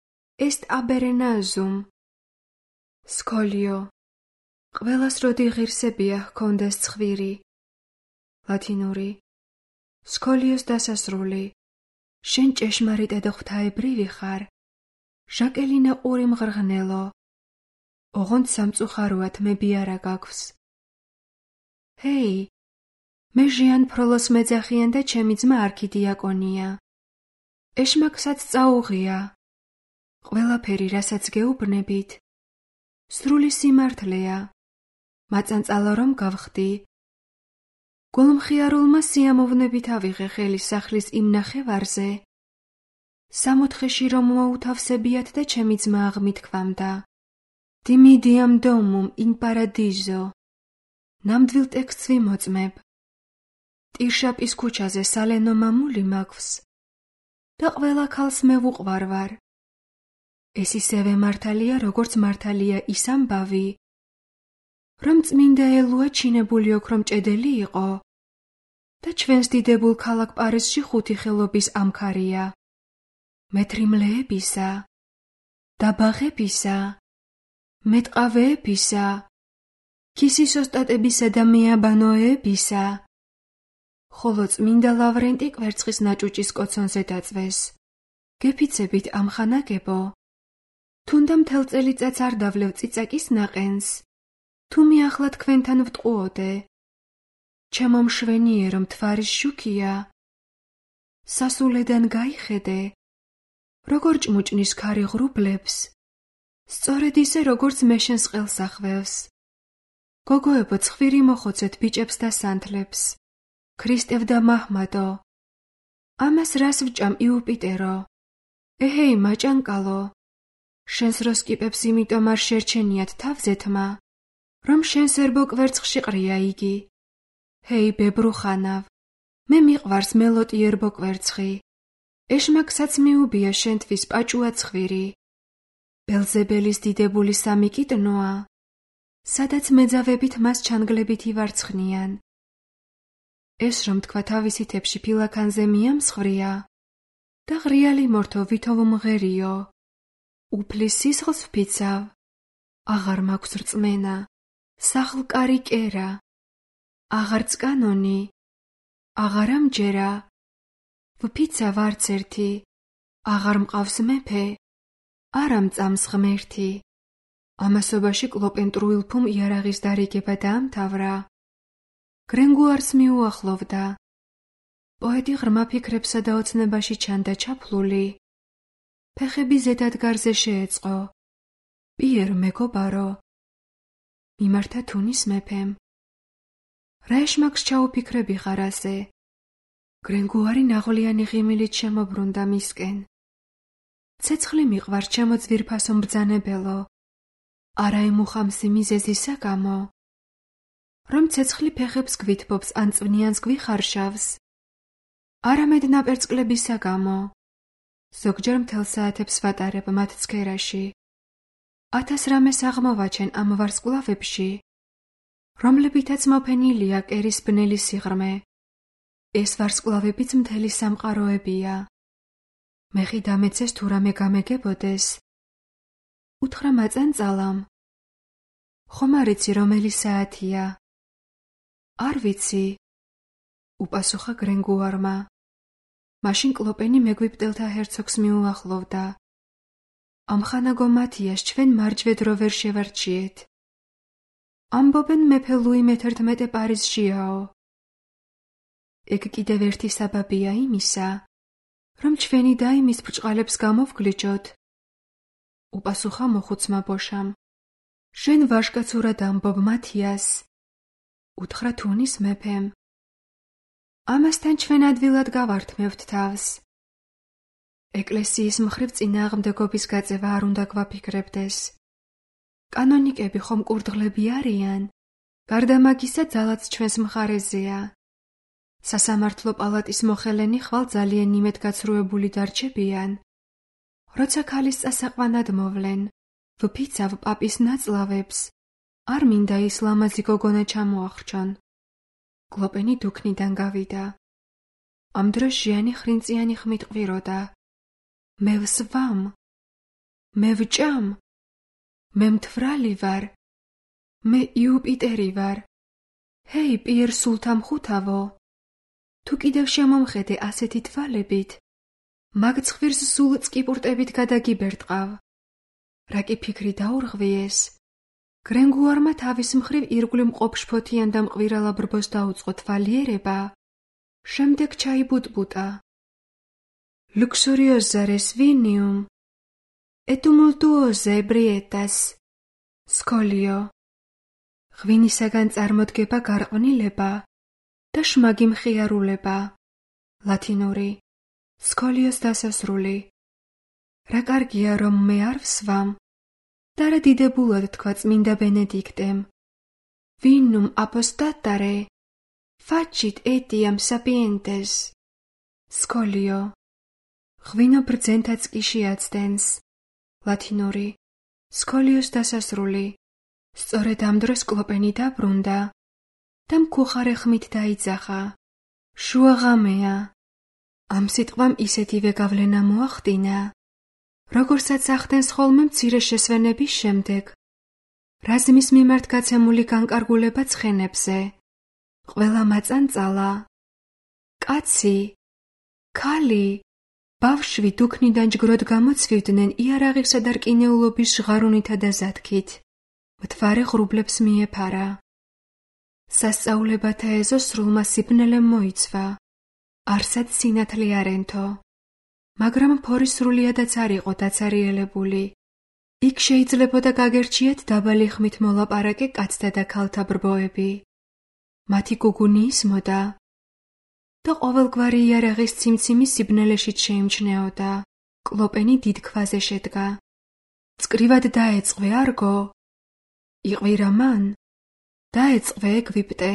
est abernazum. სკოლიო. ყველას როდი ღირსებია ჰქონდეს ცხვირი. ლათინური. სკოლიოს დასასრული. შენ ჭეშმარიტად ღვთაებრივი ხარ. ჟაკელინა ყური მღრღნელო. ოღონდ სამწუხაროად მე ბიარა გაქვს. ჰეი, მე ჟიან ფროლოს მეძახიან და ჩემი ძმა არქიდიაკონია. ეშმაკსაც წაუღია. ყველაფერი, რასაც გეუბნებით, სრული სიმართლეა. მაწანწალა რომ გავხდი. გულმხიარულმა სიამოვნებით ავიღე ხელი სახლის იმ ნახევარზე. 64-ში რომ მოუთავსებიათ და ჩემი ძმა აღმითქვამდა. დიმიდიამ დომუმ ინ პარადიზო. ნამდვილ ტექსტს ვიმოწმებ. ტირშაპის ქუჩაზე სალენო მამული მაქვს და ყველა ქალს მე ვუყვარვარ. ეს ისევე მართალია, როგორც მართალია ის ამბავი, რომ წმინდა ელუა ჩინებული ოქრომჭედელი იყო და ჩვენს დიდებულ ქალაქ პარიზში 5 ხელობის ამქარია. მეტრიმლეებისა, დაბაღებისა, მეტყავეებისა, ქისის ოსტატებისა და მეაბანოეებისა. ხოლო წმინდა ლავრენტი კვერცხის ნაჭუჭის კოცონზე დაწვეს. გეფიცებით ამ ხანაგებო? თუნდა მთელ წელიწადს არ დავლევ წიწაკის ნაყენს, თუ მე ახლა თქვენთან ვტყუოდე. ჩემო მშვენიერო მთვარის შუქია. სასულედან გაიხედე, როგორ ჭმუჭნის ქარი ღრუბლებს, სწორედ ისე როგორც მე შენს ყელს ახვევს. გოგოებო, ცხვირი მოხოცეთ ბიჭებს და სანთლებს. ქრისტევ და მაჰმადო. ამას რას ვჭამ იუპიტერო? ეჰეი, მაჭანკალო. შენს როსკიპებს იმიტომ არ შერჩენიათ თავზეთმა, რომ შენს ერბო კვერცხში ყრია იგი. ჰეი, ბებრუხანავ, მე მიყვარს მელოტი ერბო კვერცხი. ეშმაკსაც მიუბია შენთვის პაჭუა ცხვირი. ბელზებელის დიდებული სამი კიტნოა, სადაც მეძავებით მას ჩანგლებით ივარცხნიან. ეს რომ თქვა თავისი თებში ფილაქანზე მიამსხვრია და ღრიალი მორთო ვითომ მღერიო. უფლის სისხლს ვფიცავ, აღარ მაქვს რწმენა, სახლკარი კერა, აღარც კანონი, აღარა მჯერა, ვფიცავ არც ერთი, აღარ მყავს მეფე, არა მწამს ღმერთი. ამასობაში კლოპენ ტრუილფუმ იარაღის დარიგება დაამთავრა. გრენგუარს მიუახლოვდა. პოეტი ღრმა ფიქრებსა და ოცნებაში ჩანდა ჩაფლული. ფეხები ზედადგარზე შეეწყო. პიერ მეგობარო, მიმართა თუნის მეფემ. რა ეშმაკს ჩაუფიქრები ხარ ასე? გრენგუარი ნაღვლიანი ღიმილით შემობრუნდა მისკენ. ცეცხლი მიყვარ ჩემო ძვირფასო მბრძანებელო, არა ემუხამსი მიზეზისა გამო, რომ ცეცხლი ფეხებს გვითბობს ან წვნიანს გვიხარშავს, არამედ ნაპერწკლებისა გამო. ზოგჯერ მთელ საათებს ვატარებ მათ ცქერაში. 1000 რამეს აღმოვაჩენ ამ ვარსკვლავებში, რომლებითაც მოფენილია კერის ბნელი სიღრმე. ეს ვარსკვლავებიც მთელი სამყაროებია. მეხი დამეცეს თუ რამე გამეგებოდეს. უთხრა მაწანწალამ. ხომ არ იცი რომელი საათია? არ ვიცი, უპასუხა გრენგუარმა. მაშინ კლოპენი მეგვიპტელთა ჰერცოგს მიუახლოვდა. ამხანაგო მათიას ჩვენ მარჯვედრო ვერ შევარჩიეთ. ამბობენ მეფე ლუი მე-11 პარიზშიაო. ეგ კიდევ ერთი საბაბია იმისა, რომ ჩვენი და იმის ბრჭყალებს გამოვგლიჯოთ. უპასუხა მოხუცმა ბოშამ. შენ ვაჟკაცურად ამბობ მათიას, უთხრა თუნის მეფემ. ამასთან ჩვენ ადვილად გავართმევთ თავს. ეკლესიის მხრივ წინააღმდეგობის გაწევა არ უნდა გვაფიქრებდეს. კანონიკები ხომ კურდღლები არიან, გარდა მაგისა ძალაც ჩვენს მხარეზეა. სასამართლო პალატის მოხელენი ხვალ ძალიან იმედგაცრუებული დარჩებიან. როცა ქალის წასაყვანად მოვლენ, ვფიცავ პაპის ნაწლავებს, არ მინდა ის ლამაზი გოგონა ჩამოახრჩონ. კლოპენი დუქნიდან გავიდა. ამ დროს ჟიანი ხრინწიანი ხმით ყვიროდა. მე ვსვამ, მე ვჭამ, მე მთვრალი ვარ, მე იუპიტერი ვარ. ჰეი, პიერ სულთამხუთავო, თუ კიდევ შემომხედე ასეთი თვალებით, მაგ ცხვირს სულ წკიპურტებით გადაგიბერტყავ. რა კი ფიქრი დაურღვიეს? გრენგუარმა თავის მხრივ ირგვლივ მყოფშფოთიან და მყვირალა ბრბოს დაუწყო თვალიერება, შემდეგ ჩაიბუტბუტა. Luxuriosa resvinium, et tumultuosa ebrietas, სკოლიო. ღვინისაგან წარმოდგება გარყვნილება და შმაგი მხიარულება. ლათინური. სკოლიოს დასასრული. რა კარგია, რომ მე არ ვსვამ და რა დიდებულად თქვა წმინდა ბენედიქტემ. Vinum apostatare, facit etiam sapientes. სკოლიო. ღვინო ბრძენთაც კი შეაცდენს. ლათინური. სკოლიოს დასასრული. სწორედ ამ დროს კლოპენი დაბრუნდა და მქუხარე ხმით დაიძახა. შუა ღამეა. ამ სიტყვამ ისეთივე გავლენა მოახდინა, როგორცაც ახდენს ხოლმე მცირე შესვენების შემდეგ, რაზმის მიმართ გაცემული განკარგულება ცხენებზე. ყველა მაწანწალა, კაცი, ქალი, ბავშვი დუქნიდან ჯგროდ გამოცვივდნენ იარაღისა და რკინეულობის ჟღარუნითა და ზათქით. მთვარე ღრუბლებს მიეფარა. სასწაულებათა ეზო სრულმა სიბნელემ მოიცვა. არსად სინათლე არენთო. მაგრამ ფორი სრულიადაც არ იყო დაცარიელებული. იქ შეიძლებოდა გაგერჩიეთ დაბალი ხმით მოლაპარაკე კაცთა და ქალთა ბრბოები. მათი გუგუნი ისმოდა და ყოველგვარი იარაღის ციმციმი სიბნელეშიც შეიმჩნეოდა. კლოპენი დიდ ქვაზე შედგა. წკრივად დაეწყვე არგო. იყვირა მან, დაეწყო ეგვიპტე,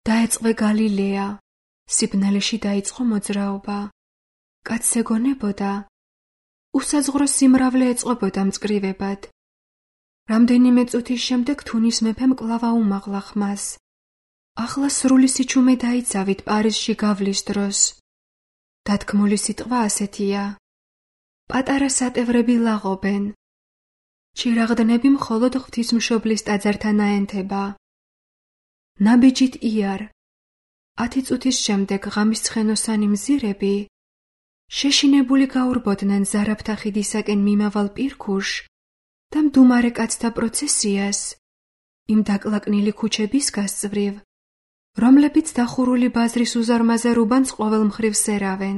დაეწყო გალილეა, სიბნელეში დაიწყო მოძრაობა. კაცს ეგონებოდა, უსაზღვრო სიმრავლე ეწყობოდა მწკრივებად. რამდენიმე წუთის შემდეგ თუნის მეფემ კვლავ აუმაღლა ხმას. ახლა სრული სიჩუმე დაიცავით პარიზში გავლის დროს. დათქმული სიტყვა ასეთია: პატარა სატევრები ლაღობენ. ჩირაღდნები მხოლოდ ღვთისმშობლის ტაძართან აენთება. ნაბიჯით იარ. 10 წუთის შემდეგ ღამის ცხენოსანი მზირები შეშინებული გაურბოდნენ ზარაფთა ხიდისაკენ მიმავალ პირქუშ და მდუმარე კაცთა პროცესიას იმ დაკლაკნილი ქუჩების გასწვრივ, რომლებიც დახურული ბაზრის უზარმაზარ უბანს ყოველ მხრივ სერავენ.